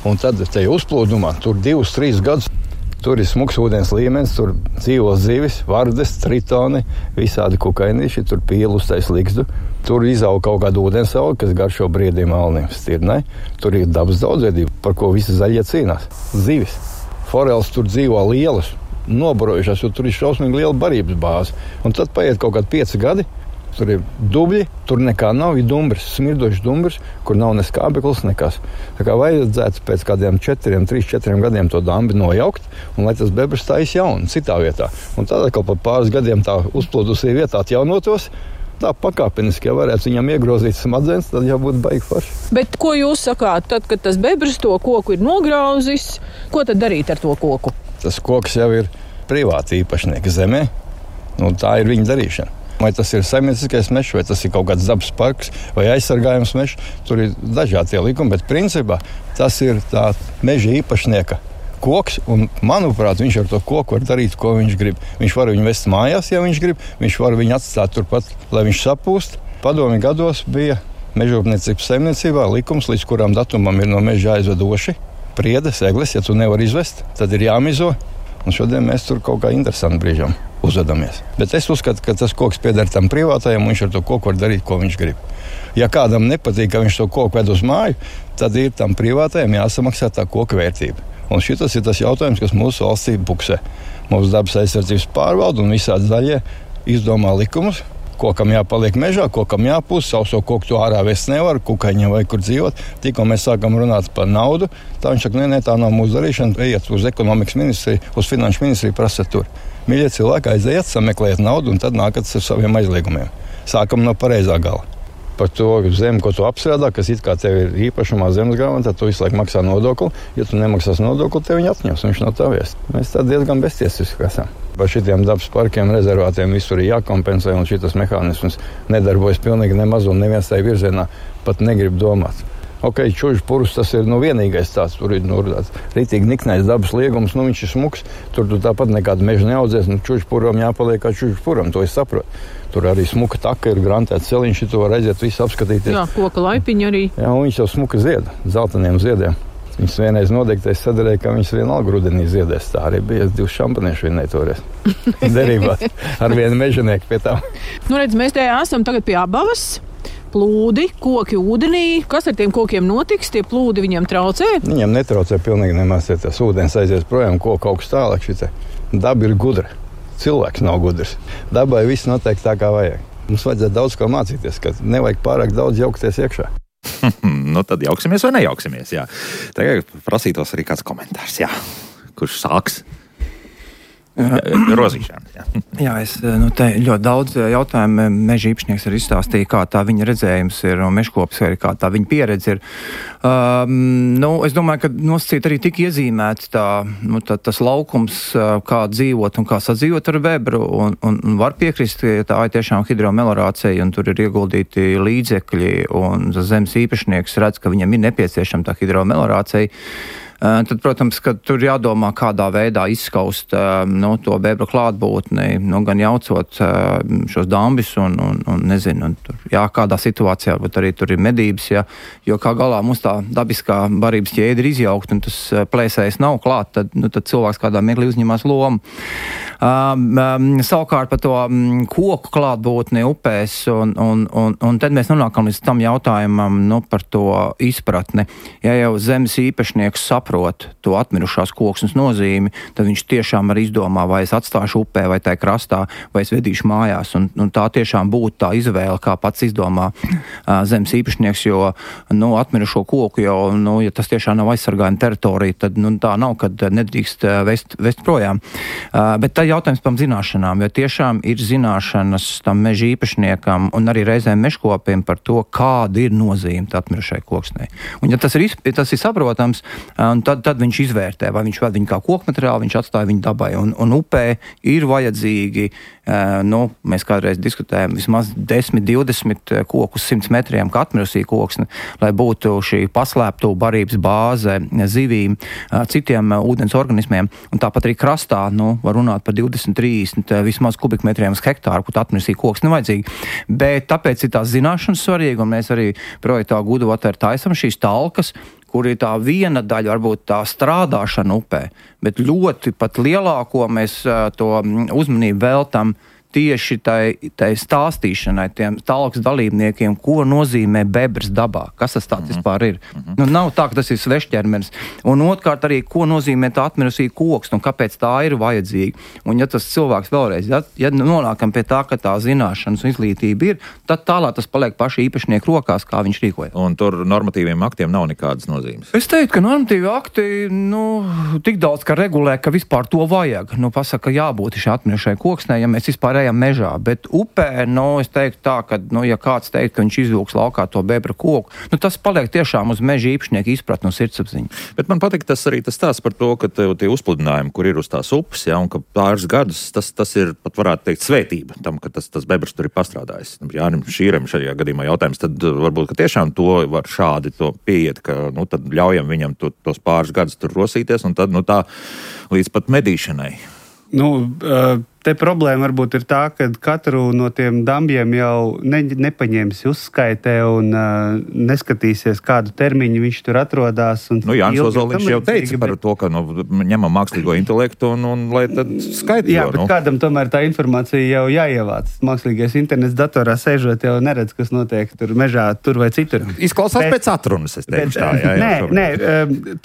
un tad tajā uzplūdumā tur 2-3 gadus. Tur ir smuks ūdens līmenis, tur dzīvo zivis, vardes, tritoni, visādi kukainīši, tur pīli uztais likstu. Tur izaug kaut kāda ūdensauga, kas garšo briediem alniem stirnai. Tur ir dabas daudzveidība, par ko visi zaļie cīnās. Zivis. Foreles tur dzīvo lielas, nobarojušās, jo tur ir šausmīgi liela barības bāze. Un tad paiet kaut kādi 5 gadi. Tur ir dubļi, tur nekā nav, ir dumbrs, smirdošs dumbrs, kur nav ne skābeklis, nekas. Tā kā vajadzētu pēc kādiem 3-4 gadiem to dambi nojaukt, un lai tas bebras taisa jaunu, citā vietā. Un tad atkal pa pāris gadiem tā uzplūdusī vietā atjaunotos, tā pakāpeniski, ja varētu viņam iegrozīt smadzenes, tad jau būtu baigi forši. Bet ko jūs sakāt, tad, kad tas bebras to koku ir nograuzis, ko tad darīt ar to koku? Tas koks jau ir privāti īpašnieka zemē, un tā ir viņa darīšana. Vai tas ir saimnieciskais mežs, vai tas ir kaut kāds dabas parks, vai aizsargājums mežs. Tur ir dažādi likumi, bet principā tas ir tā meža īpašnieka koks. Un, manuprāt, viņš ar to koku var darīt, ko viņš grib. Viņš var viņu vest mājās, ja viņš grib. Viņš var viņu atstāt turpat, lai viņš sapūst. Padomju gados bija mežrūpniecības saimniecībā likums, līdz kuram datumam ir no meža jāizvedoši priedes, egles. Ja tu nevar izvest, tad ir jāmizo. Un šodien mēs tur kaut kā interesanti brīžam uzvedamies. Bet es uzskatu, ka tas koks pieder tam privātajam, un viņš ar to koku var darīt, ko viņš grib. Ja kādam nepatīk, ka viņš to koku ved uz māju, tad ir tam privātajam jāsamaksā tā koka vērtība. Un šitas ir tas jautājums, kas mūsu valstī buksē. Mūsu dabas aizsardzības pārvalde un visādi zaļie izdomā likumus, kokam jāpaliek mežā, kokam jāpūst, sauso koku to ārā vest nevar, kukaiņiem vai kur dzīvot. Tikko mēs sākam runāt par naudu, tā viņš saka, nē, tā nav mūsu darīšana, ejiet uz ekonomikas ministriju, uz finanšu ministriju, prasat tur. Mīļie cilvēki, aiziet, sameklējiet naudu un tad nākat ar saviem aizliegumiem. Sākam no pareizā gala. Par to zemi, ko tu apstrādā, kas it kā tev ir īpašumā zemes grāmatā, tu visu laiku maksā nodokli. Ja tu nemaksās nodokli, tev viņi atņems, viņš nav tavies. Mēs tā diezgan beztiesiski esam. Par šitiem dabas parkiem, rezervātiem visur ir jākompensē, un šitas mehānisms nedarbojas pilnīgi nemaz, un neviens tajā virzienā pat negrib domāt. Ok, Čužpurvs tas ir vienīgais tāds, tur ir rītīgi niknais dabas liegums, viņš ir smuks, tur tāpat nekāda meža neaudzēs, Čužpurvam jāpaliek kā Čužpurvam, to es saprotu. Tur arī smuka taka ir, grantēts celiņš, to var redzēt, visu apskatīties. Jā, koka laipiņi arī. Jā, un viņš jau smuka zieda, zeltainiem ziediem. Viņas vienreiz nodegtais sadarēja, ka viņas vienalga rudenī ziedēs. Tā arī bija 2 šampaniešu vinnēja toreiz. Derībās ar vienu mežanieku pie tām. Redz, mēs te esam tagad pie Abavas. Plūdi, koki ūdenī. Kas ar tiem kokiem notiks? Tie plūdi viņiem traucē? Viņiem netraucē pilnīgi nemaz, ja tas ūdens aizies projām, koka augsts tālāk. Daba ir gudra. Cilvēks nav gudrs. Dabai viss notiek tā, kā vajag. Mums vajadzētu daudz ko mācīties, ka nevajag pārāk daudz jaukties iekšā. Nu, tad jauksimies vai nejauksimies, jā. Tagad prasītos arī kāds komentārs, jā. Kurš sāks? Rozīšana. Jā, te ļoti daudz jautājumu meža īpašnieks arī izstāstīja, kā tā viņa redzējums ir un mežkopis arī kā tā viņa pieredze ir. Es domāju, ka nosacīt arī tik iezīmēts tas laukums, kā dzīvot un kā sadzīvot ar bebru un var piekrist, ka tā ir tiešām hidromelorācija un tur ir ieguldīti līdzekļi un zemes īpašnieks redz, ka viņam ir nepieciešama tā hidromelorācija. Tad, protams, ka tur jādomā, kādā veidā izskaust to bebru klātbūtni, gan jaucot šos dambis un nezinu, kādā situācijā, varbūt arī tur ir medības, jo kā galā mums tā dabiskā barības ķēde ir izjaukt un tas plēsējs nav klāt, tad cilvēks kādā mirklī uzņemās lomu. Savukārt par to koku klātbūtni upēs un tad mēs nonākam līdz tam jautājumam par to izpratni. Ja jau zemes īpašnieks saprot to atmirušās koksnes nozīmi, tad viņš tiešām arī izdomā, vai es atstāšu upē vai tai krastā, vai es vedīšu mājās. Un tā tiešām būtu tā izvēle, kā pats izdomā zemes īpašnieks, jo atmirušo koku jau, ja tas tiešām nav aizsargājuma teritorija, tad tā nav, kad nedrīkst vest projām. Bet tā jautājums par zināšanām, jo tiešām ir zināšanas tam meža īpašniekam un arī reizēm mežkopiem par to, kāda ir nozīme atmirušai koksnei. Un ja tas ir saprotams, tad viņš izvērtē, vai viņš ved viņu kā kokmateriālu, viņš atstāja viņu dabai. Un upē ir vajadzīgi, mēs kādreiz diskutējam, vismaz 10-20 kokus 100 metriem, kā atmirusī koksne, lai būtu šī paslēptu barības bāze zivīm, citiem ūdens organismiem. Un tāpat arī krastā, var runāt par 20-30 vismaz kubikmetriem uz hektāru, kur atmirusī koksne nevajadzīgi. Bet tāpēc ir tās zināšanas svarīgi, un mēs arī projektā Good Water taisam šīs talkas, kur ir tā viena daļa, varbūt tā strādāšana upē, bet ļoti pat lielāko mēs to uzmanību veltam tieši tai stāstīšanai, tiem talkas dalībniekiem, ko nozīmē bebrs dabā, kas tas tāds vispār ir. Nav tā, ka tas ir svešķermenis. Un otrkārt arī, ko nozīmē tā atmirusī koks, un kāpēc tā ir vajadzīga. Un ja tas cilvēks vēlreiz, ja nonākam pie tā, ka tā zināšanas un izglītība ir, tad tālāk tas paliek paši īpašnieku rokās, kā viņš rīkojas. Un tur normatīviem aktiem nav nekādas nozīmes. Es teiktu, ka normatīvi akti, tik daudz, ka regulē, ka vispār to vajag. Pasaka, jābūt šai atmirušai koksnei, ja mēs vispār mežā, bet upē, es teiktu tā, ka, ja kāds teikt, ka viņš izvilks laukā to bebra koku, tas paliek tiešām uz meža īpašnieku izpratni un sirdsapziņu. Bet man patīk tas arī tas stāsts par to, ka tie uzpludinājumi, kur ir uz tās upes, un ka pāris gadus tas ir, pat varētu teikt, svētība tam, ka tas bebrs tur ir pastrādājis. Jānim Šīrem šajā gadījumā jautājums, tad varbūt, ka tiešām to var šādi to pieiet, ka, tad ļaujam viņam tos pāris gadus tur rosīties, un tad, tā līdz pat medīšanai. Te problēma varbūt ir tā, ka katru no tiem dambiem jau nepaņēmis uzskaitē un neskatīsies, kādu termiņu viņš tur atrodas. Jānis Ozoliņš jau teica par to, ka ņemam mākslīgo intelektu un lai tad skaitļo. Jā, bet kādam tomēr tā informācija jau jāievāc. Mākslīgais internets datorā sēžot jau neredz, kas notiek tur mežā, tur vai citur. Izklausās pēc atrunas, es teikšu tā. Nē,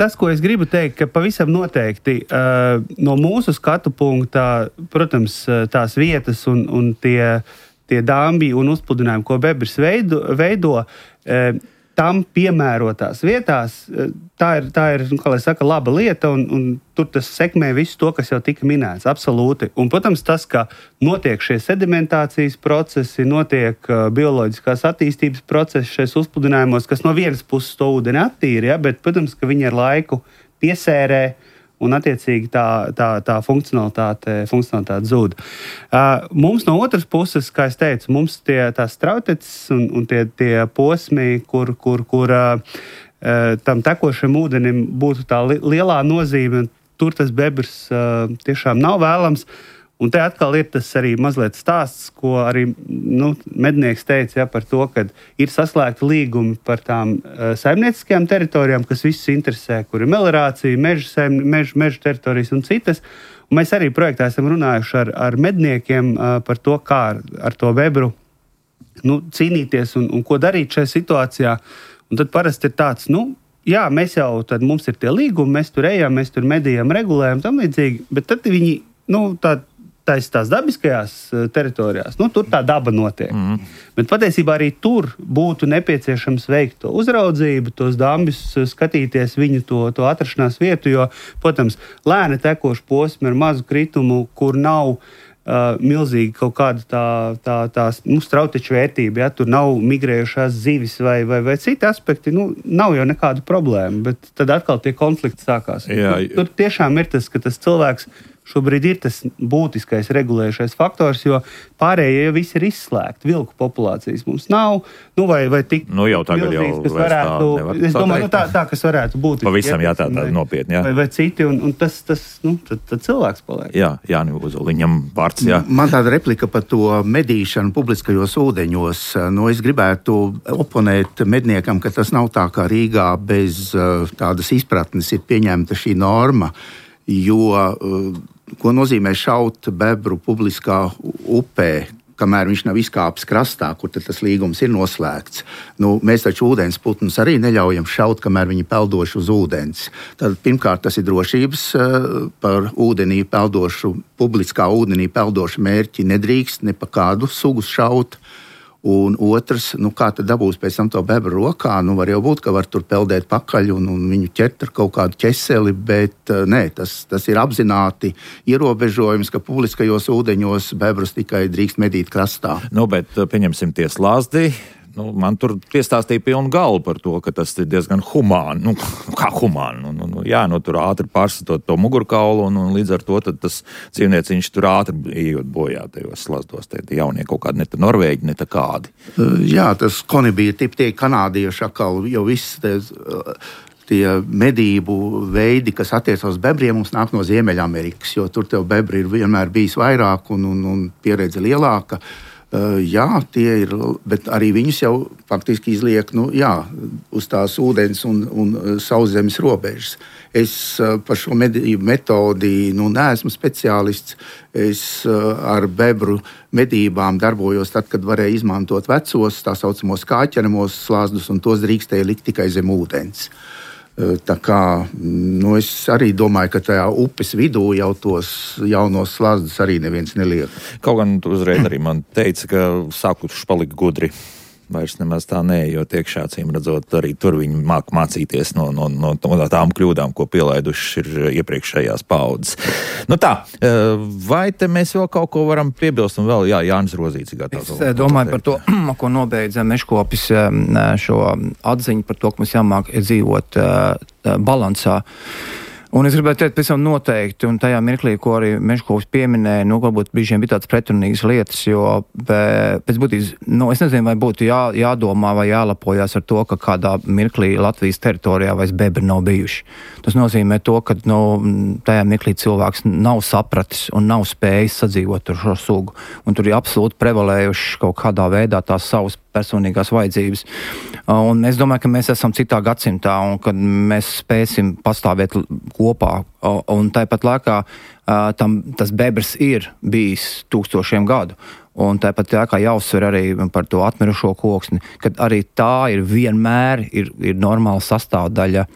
tas, ko es gribu teikt, ka pavisam noteikti no mūsu skatu punktā, protams, tās vietas un tie dambi un uzpludinājumi, ko bebrs veido, tam piemērotās vietās, tā ir kā lai saka, laba lieta, un tur tas sekmē visu to, kas jau tika minēts, absolūti. Un, protams, tas, ka notiek šie sedimentācijas procesi, notiek bioloģiskās attīstības procesi šais uzpludinājumos, kas no vienas puses to ūdeni attīra, bet, protams, ka viņi ar laiku piesērē, un attiecīgi tā funkcionalitāte zūd. Mums no otras puses, kā es teicu, mums tās strauteces un tie posmi, kur tam tekošam ūdenim būtu tā lielā nozīme, tur tas bebrs tiešām nav vēlams. Un te atkal ir tas arī mazliet stāsts, ko arī mednieks teica par to, ka ir saslēgti līgumi par tām saimnieciskajām teritorijām, kas visus interesē, kur ir meliorācija, meža teritorijas un citas. Un mēs arī projektā esam runājuši ar medniekiem par to, kā ar to bebru cīnīties un ko darīt šajā situācijā. Un tad parasti ir tāds, jā, mums ir tie līgumi, mēs tur ejam, mēs tur medījam, regulējam, tam līdzīgi, bet tad viņi, tās dabiskajās teritorijās, tur tā daba notiek. Bet patiesībā arī tur būtu nepieciešams veikt to uzraudzību, tos dambis skatīties viņu to atrašanās vietu, jo, protams, lēni tekoši posmi ar mazu kritumu, kur nav milzīgi kaut kāda tā strauteču vērtība, ja tur nav migrējušās zivis vai citi aspekti, nav jau nekāda problēma, bet tad atkal tie konflikti sākās. Tur tiešām ir tas, ka tas cilvēks šobrīd ir tas būtiskais regulējušais faktors, jo pārējie jau visi ir izslēgti. Vilku populācijas mums nav, vai tik jau tagad milzīgs, kas varētu, es domāju, tā, kas varētu būt. Pavisam tā nopietni, jā. Vai citi, un tas tad cilvēks paliek. Jā, Ozoliņam vārds, jā. Man tāda replika par to medīšanu publiskajos ūdeņos. Es gribētu oponēt medniekam, ka tas nav tā kā Rīgā bez tādas izpratnes ir pieņemta šī norma, jo ko nozīmē šaut bebru publiskā upē, kamēr viņš nav izkāpis krastā, kur tas līgums ir noslēgts. Mēs taču ūdens putnus arī neļaujam šaut, kamēr viņi peldoši uz ūdens. Tad pirmkārt tas ir drošības par ūdenī peldošu, publiskā ūdenī peldošu mērķi nedrīkst ne pa kādu sugu šaut. Un otrs, kā tad dabūs pēc tam to bebru rokā, var jau būt, ka var tur peldēt pakaļ un viņu ķert ar kaut kādu ķeseli, bet nē, tas ir apzināti ierobežojums, ka publiskajos ūdeņos bebrus tikai drīkst medīt krastā. Bet pieņemsim tie slazdi. Man tur piestāstīja pilnu galvu par to, ka tas ir diezgan humāni. Kā humāni? Tur ātri pārsatot to mugurkaulu un līdz ar to tas dzīvnieciņš tur ātri ejot bojā tajos slazdos. Tie jaunie kaut kādi, ne tā norvēģi, ne tā kādi. Jā, tas konibīja tipi tie kanādieši atkal, jo viss tie medību veidi, kas attiecas uz bebriem, mums nāk no Ziemeļamerikas, jo tur tev bebri ir vienmēr bijis vairāk un pieredze lielāka. Jā, tie ir, bet arī viņus jau faktiski izliek uz tās ūdens un sauszemes robežas. Es par šo medību metodi neesmu speciālists. Es ar bebru medībām darbojos tad, kad varēja izmantot vecos, tā saucamos kāķenamos slazdus, un tos drīkstēja likt tikai zem ūdens. Tā kā, es arī domāju, ka tajā upes vidū jau tos jaunos slazdus arī neviens neliek. Kaut gan uzreiz arī man teica, ka sākuši palikt gudri. Vairs nemaz tā nē, jo tiekšā cīm redzot, arī tur viņi māk mācīties no tām kļūdām, ko pielaiduši ir iepriekšējās paudzes. Vai te mēs vēl kaut ko varam piebilst un vēl, Jānis Rozīts gatavs. Es domāju par to, ko nobeidza Mežkopis šo atziņu par to, ka mums jāmāk dzīvot balansā. Un es gribētu teikt, pēc tam noteikti, un tajā mirklī, ko arī Mežkopis pieminēja, varbūt brīžiem bija tāds pretrunīgas lietas, jo pēc būtības, es nezinu, vai būtu jādomā vai jālepojās ar to, ka kādā mirklī Latvijas teritorijā vairs bebri nav bijuši. Tas nozīmē to, ka tajā mirklī cilvēks nav sapratis un nav spējis sadzīvot ar šo sugu. Un tur ir absolūti prevalējuši kaut kādā veidā tās savas personīgās vajadzības. Un es domāju, ka mēs esam citā gadsimtā un kad mēs spēsim pastāvēt kopā. Un tāpat laikā tas bebrs ir bijis tūkstošiem gadu. Un tāpat kā jāuzsver arī par to atmirušo koksni, kad arī tā ir vienmēr ir normāla sastāvdaļa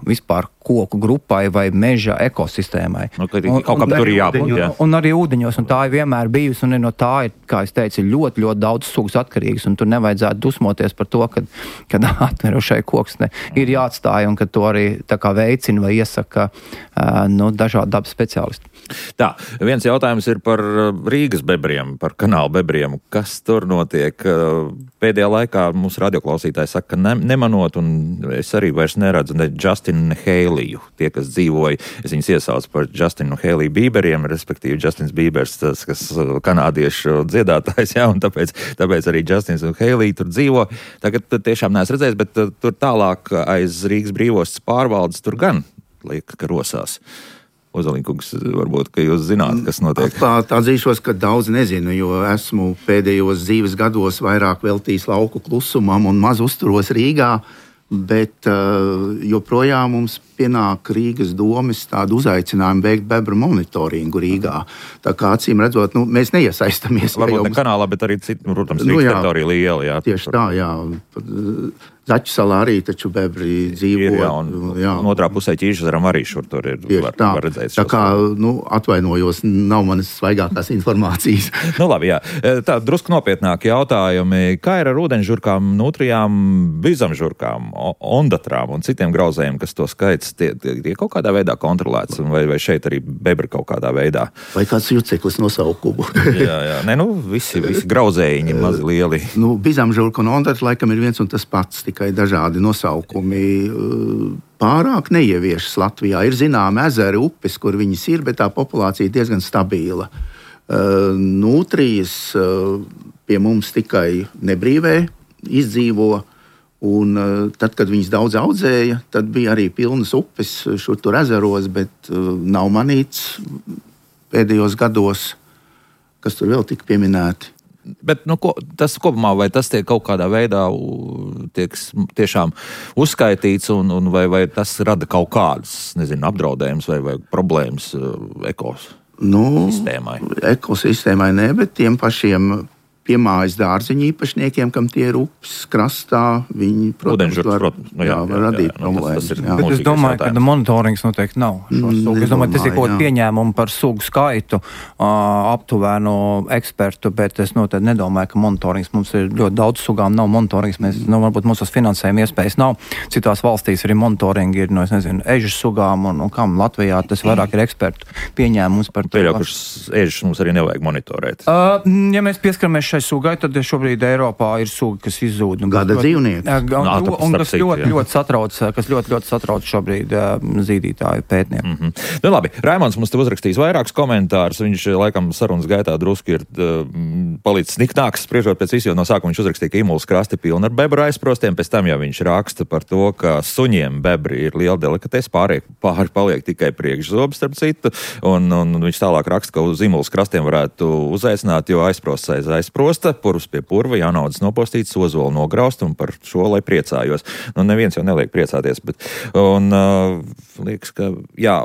vispār koku grupai vai meža ekosistēmai. Kaut kā tur ir jābūt, jā. Un arī ūdeņos, un tā ir vienmēr bijusi, un no tā ir, kā es teicu, ļoti, ļoti daudz sugas atkarīgas, un tur nevajadzētu dusmoties par to, kad atmirušai koksne ir jāatstāja, un ka to arī tā kā veicina vai iesaka dažādi dabas speciālisti. Tā, viens jautājums ir par Rīgas bebriem, par kanāla bebriem. Kas tur notiek? Pēdējā laikā mūsu radioklausītāji saka, ka nemanot, un es arī vairs neredzu ne Justinu, ne Heilu Heiliju. Tie, kas dzīvoja, es viņus iesaucu par Justinu un Heiliju Bīberiem, respektīvi Justins Bībers, tas, kas kanādiešu dziedātājs, jā, un tāpēc arī Justins un Heilija tur dzīvo. Tagad tiešām neesmu redzējis, bet tur tālāk aiz Rīgas brīvostas pārvaldes tur gan liek, ka rosās. Ozoliņkungs, varbūt, ka jūs zināt, kas notiek. Atzīšos, ka daudz nezinu, jo esmu pēdējos dzīves gados vairāk veltījis lauku klusumam un maz uzturos Rīgā, bet joprojām mums pienāk Rīgas domes tādu uzaicinājumu veikt bebru monitoringu Rīgā. Tā kā acīm redzot, mēs neiesaistamies. Varbūt ne kanālā, bet arī citu, protams, Rīgas teritorija liela, jā. Tieši tā, jā. Zaķu salā arī taču bebri dzīvo. Un otrā pusē Ķīžezaram arī šur tur ir. Var redzēt. Tā kā, atvainojos, nav manas svaigākās informācijas. Labi, jā. Tā, drusku nopietnāki jautājumi. Kā ir ar ūdeņžurkām, nutrijām, bizamžurkām, ondatrām un citiem grauzējiem, kas to skaits tie kaut kādā veidā kontrolēts? Vai šeit arī bebri kaut kādā veidā? Vai kāds juceklis nosaukumu? jā. Visi grauzējiņi mazi lieli. Bizamžurka un ondatra laikam ir viens un tas pats, tikai dažādi nosaukumi. Pārāk neieviešas Latvijā. Ir zināmi ezeri, upes, kur viņas ir, bet tā populācija ir diezgan stabila. Nutrijas pie mums tikai nebrīvē izdzīvo, un tad, kad viņas daudz audzēja, tad bija arī pilnas upes šur tur ezeros, bet nav manīts pēdējos gados, kas tur vēl tika pieminēti. Bet tas kopumā, vai tas tiek kaut kādā veidā tiek tiešām uzskaitīts, un vai tas rada kaut kādas, apdraudējumus vai problēmas ekosistēmai? Ekosistēmai ne, bet tiem pašiem piemājas dārziņu īpašniekiem, kam tie ir upes krastā, viņi, protams, var radīt problēmas. Bet es domāju, ka monitorings noteikti nav. Es domāju, tas ir kaut pieņēmumu par sugu skaitu, aptuvenu ekspertu, bet es noteikti nedomāju, ka monitorings mums ir ļoti daudz sugām, nav monitorings, varbūt mums tas finansējuma iespējas nav. Citās valstīs arī monitoringi ir, ežu sugām un kam Latvijā tas vairāk ir ekspertu pieņēmums par to. Pieļaukušas ežus mums arī nevajag monitorēt. Ja mēs pieskaramies šai sugai, tad šobrīd Eiropā ir suga, kas izzūd. Gada dzīvnieki. Un kas ļoti satrauc šobrīd zīdītāju pētnieku. Labi, Raimonds mums te uzrakstījis vairākus komentārus. Viņš laikam sarunas gaitā drusku ir palicis niknāks, spriežot pēc visu, jo no sākuma viņš uzrakstīja, ka Imulas krasti pilni ar bebru aizprostiem, pēc tam jau viņš raksta par to, ka suņiem bebri ir liela delikatese, pāri paliek tikai priekšzobs, starp citu, un viņš tālāk raksta, ka uz Imulas krastiem varētu uzaicināt, jo aizprosts aiz aizprosta, purvs pie purva, jānaudas nopostīts, ozolu nograust, un par šo, lai priecājos. Neviens jau neliek priecāties, bet, liekas, ka,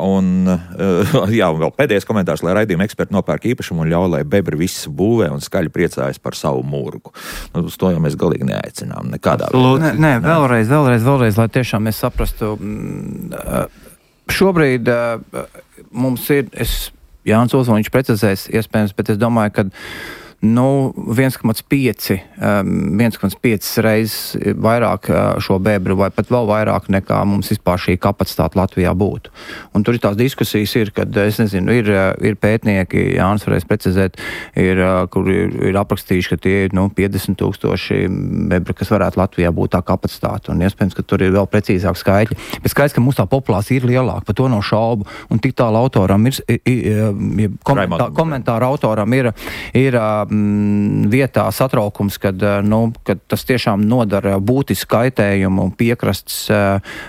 un vēl pēdējais komentārs, lai raidījuma eksperti nopērk īpašumu un ļauj, lai bebri visu būvē un skaļi priecājas par savu murgu. Uz to jau mēs galīgi neaicinām nekādā veidā. Nē, vēlreiz, lai tiešām mēs saprastu. Šobrīd mums ir, Jānis Ozoliņš precizēs iespējams, bet es domāju, ka 1,5 reizes vairāk šo bebru, vai pat vēl vairāk nekā mums vispār šī kapacitāte Latvijā būtu. Un tur ir tās diskusijas, kad, ir pētnieki, Jānis varēs precizēt, kur ir aprakstījuši, ka tie ir 50,000 bebru, kas varētu Latvijā būt tā kapacitāte. Un iespējams, ka tur ir vēl precīzāk skaitļi. Bet skaidrs, ka mums tā populācija ir lielāka, par to nav šaubu. Un tik tālu autoram komentāra autoram ir vietā satraukums, kad tas tiešām nodara būtisku kaitējumu piekrastes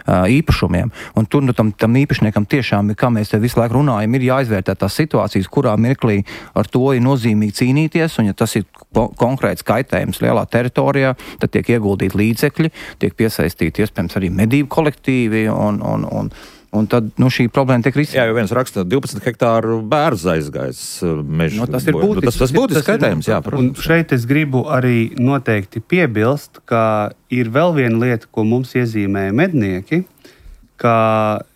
īpašumiem. Un tur tam īpašniekam tiešām, kā mēs te visu laiku runājam, ir jāizvērtē tās situācijas, kurā mirklī ar to ir nozīmīgi cīnīties, un ja tas ir konkrēts kaitējums lielā teritorijā, tad tiek ieguldīti līdzekļi, tiek piesaistīti iespējams arī medību kolektīvi un tad šī problēma tiek risināta. Jā, jo viens raksta 12 hektāru bērns aizgājis mežu. Tas ir būtisks. Tas būtisks skaitējums, jā. Un šeit es gribu arī noteikti piebilst, ka ir vēl viena lieta, ko mums iezīmēja mednieki, ka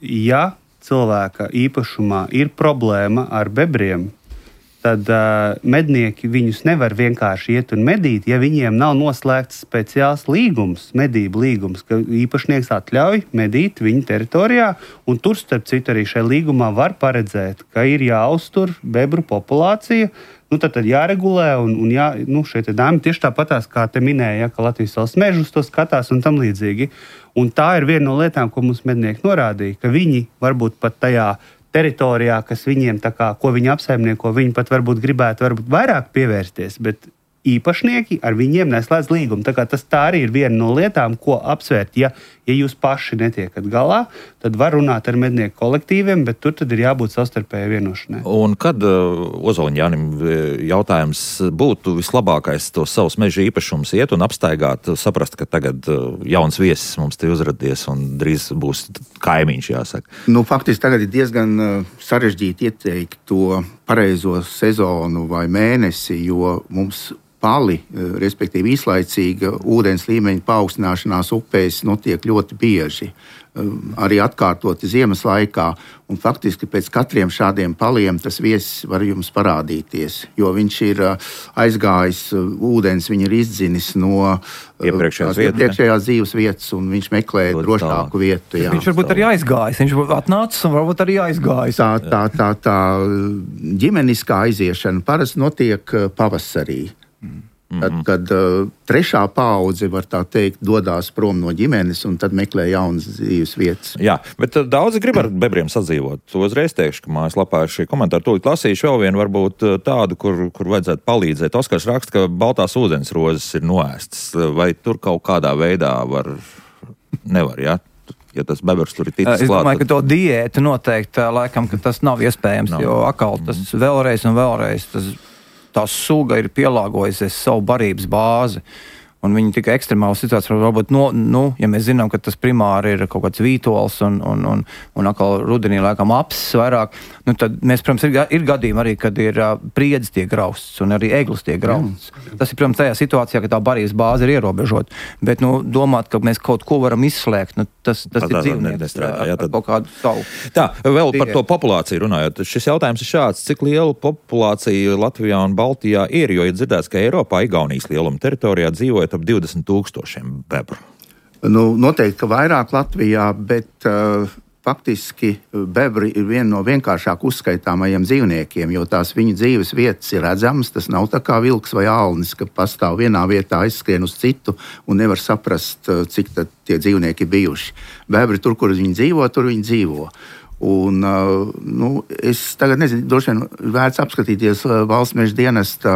ja cilvēka īpašumā ir problēma ar bebriem, tad mednieki viņus nevar vienkārši iet un medīt, ja viņiem nav noslēgts speciāls līgums, medību līgums, ka īpašnieks atļauj medīt viņu teritorijā, un tur, starp citu, arī šajā līgumā var paredzēt, ka ir jāuztur bebru populācija, tad jāregulē, un šie dāmi tieši tāpatās, kā te minēja, ka Latvijas valsts mežus to skatās un tam līdzīgi. Un tā ir viena no lietām, ko mums mednieki norādīja, ka viņi varbūt pat tajā teritorijā, kas viņiem ko viņi apsaimnieko, viņi pat varbūt gribētu vairāk pievērsties, bet īpašnieki ar viņiem neslēdz līgumu. Tā arī ir viena no lietām, ko apsvērt. Ja jūs paši netiekat galā, tad var runāt ar mednieku kolektīviem, bet tur tad ir jābūt savstarpēji vienošanai. Un kad Ozoliņa Jānim jautājums būtu vislabākais tos savus meža īpašumus iet un apstaigāt, saprast, ka tagad jauns viesis mums te uzradies un drīz būs kaimiņš, jāsaka? Faktiski tagad ir diezgan sarežģīti ieteikt to pareizo sezonu vai mēnesi, jo mums pali, respektīvi īslaicīga ūdens līmeņa paaugstināšanās upēs notiek ļoti bieži, arī atkārtoti ziemas laikā. Un faktiski pēc katriem šādiem paliem tas viesis var jums parādīties, jo viņš ir aizgājis ūdens, viņa ir izdzinis no iepriekšējās dzīves vietas, un viņš meklē drošāku vietu. Jā. Viņš varbūt arī aizgājis, viņš atnācis un varbūt arī aizgājis. Tā ģimeniskā aiziešana parasti notiek pavasarī. Kad trešā paudze, var tā teikt, dodās prom no ģimenes un tad meklē jaunas dzīves vietas. Jā, bet daudzi grib ar bebriem sadzīvot. To uzreiz teikšu, ka mājaslapā ir šie komentāri. Tūlīt lasīšu vēl vienu, varbūt tādu, kur vajadzētu palīdzēt. Oskars raksta, ka baltās ūdensrozes ir noēstas. Vai tur kaut kādā veidā nevar, jā? Ja tas bebers tur ir ticis klāt. Es domāju, ka to diētu noteikti, laikam, ka tas nav iespējams, jo atkal tas vēlreiz un vēlreiz tā suga ir pielāgojusies savu barības bāzi. Un viņi tikai ekstremāli situācijā varbūt, ja mēs zinām, ka tas primāri ir kaut kāds vītols un atkal rudenī laikam apsis vairāk, tad mēs, protams, ir gadījumi arī, kad ir priedzi tiek grausts un arī eglis tiek grausts. Tas ir, protams, tajā situācijā, ka tā barības bāze ir ierobežota. Bet, domāt, ka mēs kaut ko varam izslēgt, tas ir dzīvnieks ar kaut kādu savu. Tā, vēl par to populāciju runājot. Šis jautājums ir šāds, cik liela populācija Latvijā un Baltijā ir, jo ir dzirdēts, ka Eiropā, Igaunijas lieluma teritorijā dzīvojot ap 20,000 bebru. Noteikti, ka vairāk Latvijā, bet faktiski bebri ir viena no vienkāršāk uzskaitāmajiem dzīvniekiem, jo tās viņu dzīves vietas ir redzamas. Tas nav tā kā vilks vai ālnis, ka pastāv vienā vietā, aizskrien uz citu un nevar saprast, cik tad tie dzīvnieki bijuši. Bebri tur, kur viņi dzīvo, tur viņi dzīvo. Un, es tagad nezinu, droši vien vērts apskatīties Valsts meža dienesta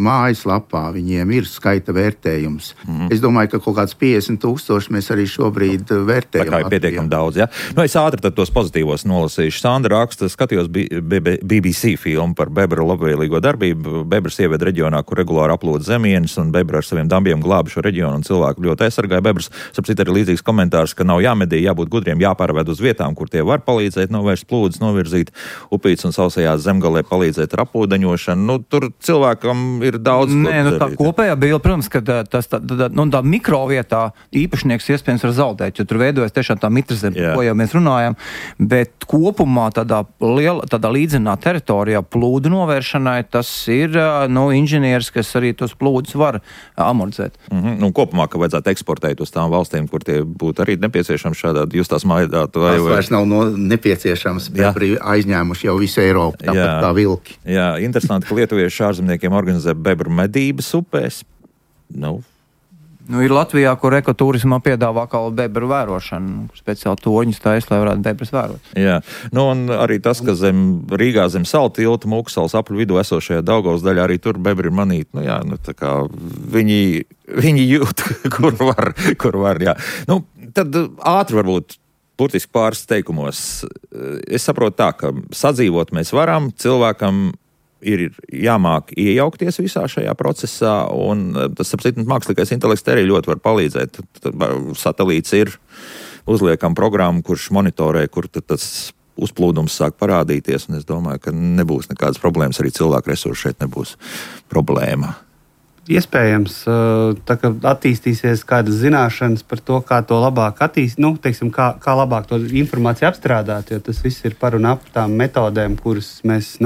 mājaslapā. Viņiem ir skaita vērtējums. Es domāju, ka kaut kāds 50,000 mēs arī šobrīd vērtējam. Tā kā ir pietiekami daudz, ja? Es ātri tad tos pozitīvos nolasīšu. Sandra raksta, skatījos BBC filmu par bebru labvēlīgo darbību. Bebrs ieved reģionā, kur regulāri aplūda zemienes, un bebri ar saviem dambiem glābi šo reģionu, un cilvēku ļoti aizsargāja bebrs. Sapcīt arī līdzīgs komentārs, ka nav jāmedī, jābūt gudriem, jāpārved uz vietām, kur tie var palīdzēt, novērst plūdes, novirzīt upītes un sausajās zemgalē palīdzēt ar apūdeņošanu. Tur cilvēkam ir daudz. Tā kopējā bilde, protams, ka tā mikrovietā īpašnieks iespējams var zaudēt, jo tur veidojas tiešām tā mitrazeme, ko jau mēs runājam, bet kopumā tādā līdzenā teritorijā plūdu novēršanai tas ir inženieris, kas arī tos plūdus var amortizēt. Kopumā, ka vajadzētu eksportēt uz tām valstīm, kur tie būtu arī nepieciešams šādā justās maidāt. Tas vairs nav nepieciešams, bebri aizņēmuši jau visu Eiropu, tāpat kā vilki. Jā, interesanti, ka lietuvieši ārzemniekiem organizē bebru medības upēs. Ir Latvijā, kur ekoturismā piedāvā kā bebru vērošanu, speciāli torņus taisa, lai varētu bebrus vērot. Jā, un arī tas, ka Rīgā zem salta tilta Mūksalas apļu vidū esošajā Daugavas daļā arī tur bebri manīt. Tā kā viņi jūt, kur var, jā. Tad ātri varbūt burtiski pāris teikumos. Es saprotu tā, ka sadzīvot mēs varam, cilvēkam ir jāmāk iejaukties visā šajā procesā, un tas, mākslīgais intelekts arī ļoti var palīdzēt. Satelīts ir, uzliekam programmu, kurš monitorē, kur tas uzplūdums sāk parādīties, un es domāju, ka nebūs nekādas problēmas, arī cilvēku resursi šeit nebūs problēma. Iespējams, tā kā attīstīsies kādas zināšanas par to, kā to labāk attīstīt, kā labāk to informāciju apstrādāt, jo tas viss ir par un ap tām metodēm, kuras mēs,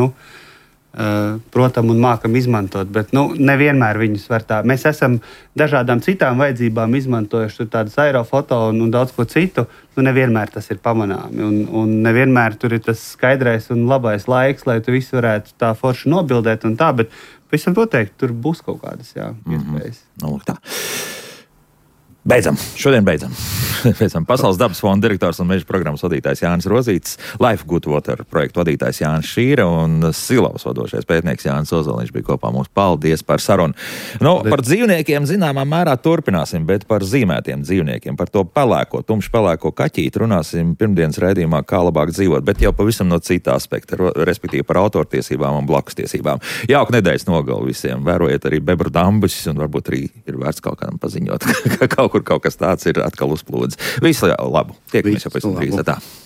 protam un mākam izmantot, bet nevienmēr viņus var tā. Mēs esam dažādām citām vajadzībām izmantojuši tādas aerofoto un daudz ko citu, nevienmēr tas ir pamanāmi. Un nevienmēr tur ir tas skaidrais un labais laiks, lai tu visu varētu tā forši nobildēt un tā, bet visam noteikti tur būs kaut kādas iespējas. Tā. Šodien beidzam. Pasaules dabas fonda direktors un meža programmas vadītājs Jānis Rozītis, Life Good Water projektu vadītājs Jānis Šīra un Silavas vadošais pētnieks Jānis Ozoliņš bija kopā mums. Paldies par sarunu. Par dzīvniekiem zināmā mērā turpināsim, bet par zīmētiem dzīvniekiem, par to pelēko, tumši pelēko kaķīti runāsim pirmdienas raidījumā Kā labāk dzīvot, bet jau pavisam no cita aspekta, respektīvi par autortiesībām un blakustiesībām. Jauka nedēļas nogali visiem. Vērojiet arī bebru dambus un varbūt arī ir vērts kaut kādam paziņot, ka kaut kas tāds ir atkal uzplūdis. Visu labu. Tiekamies jau pēc tam drīz.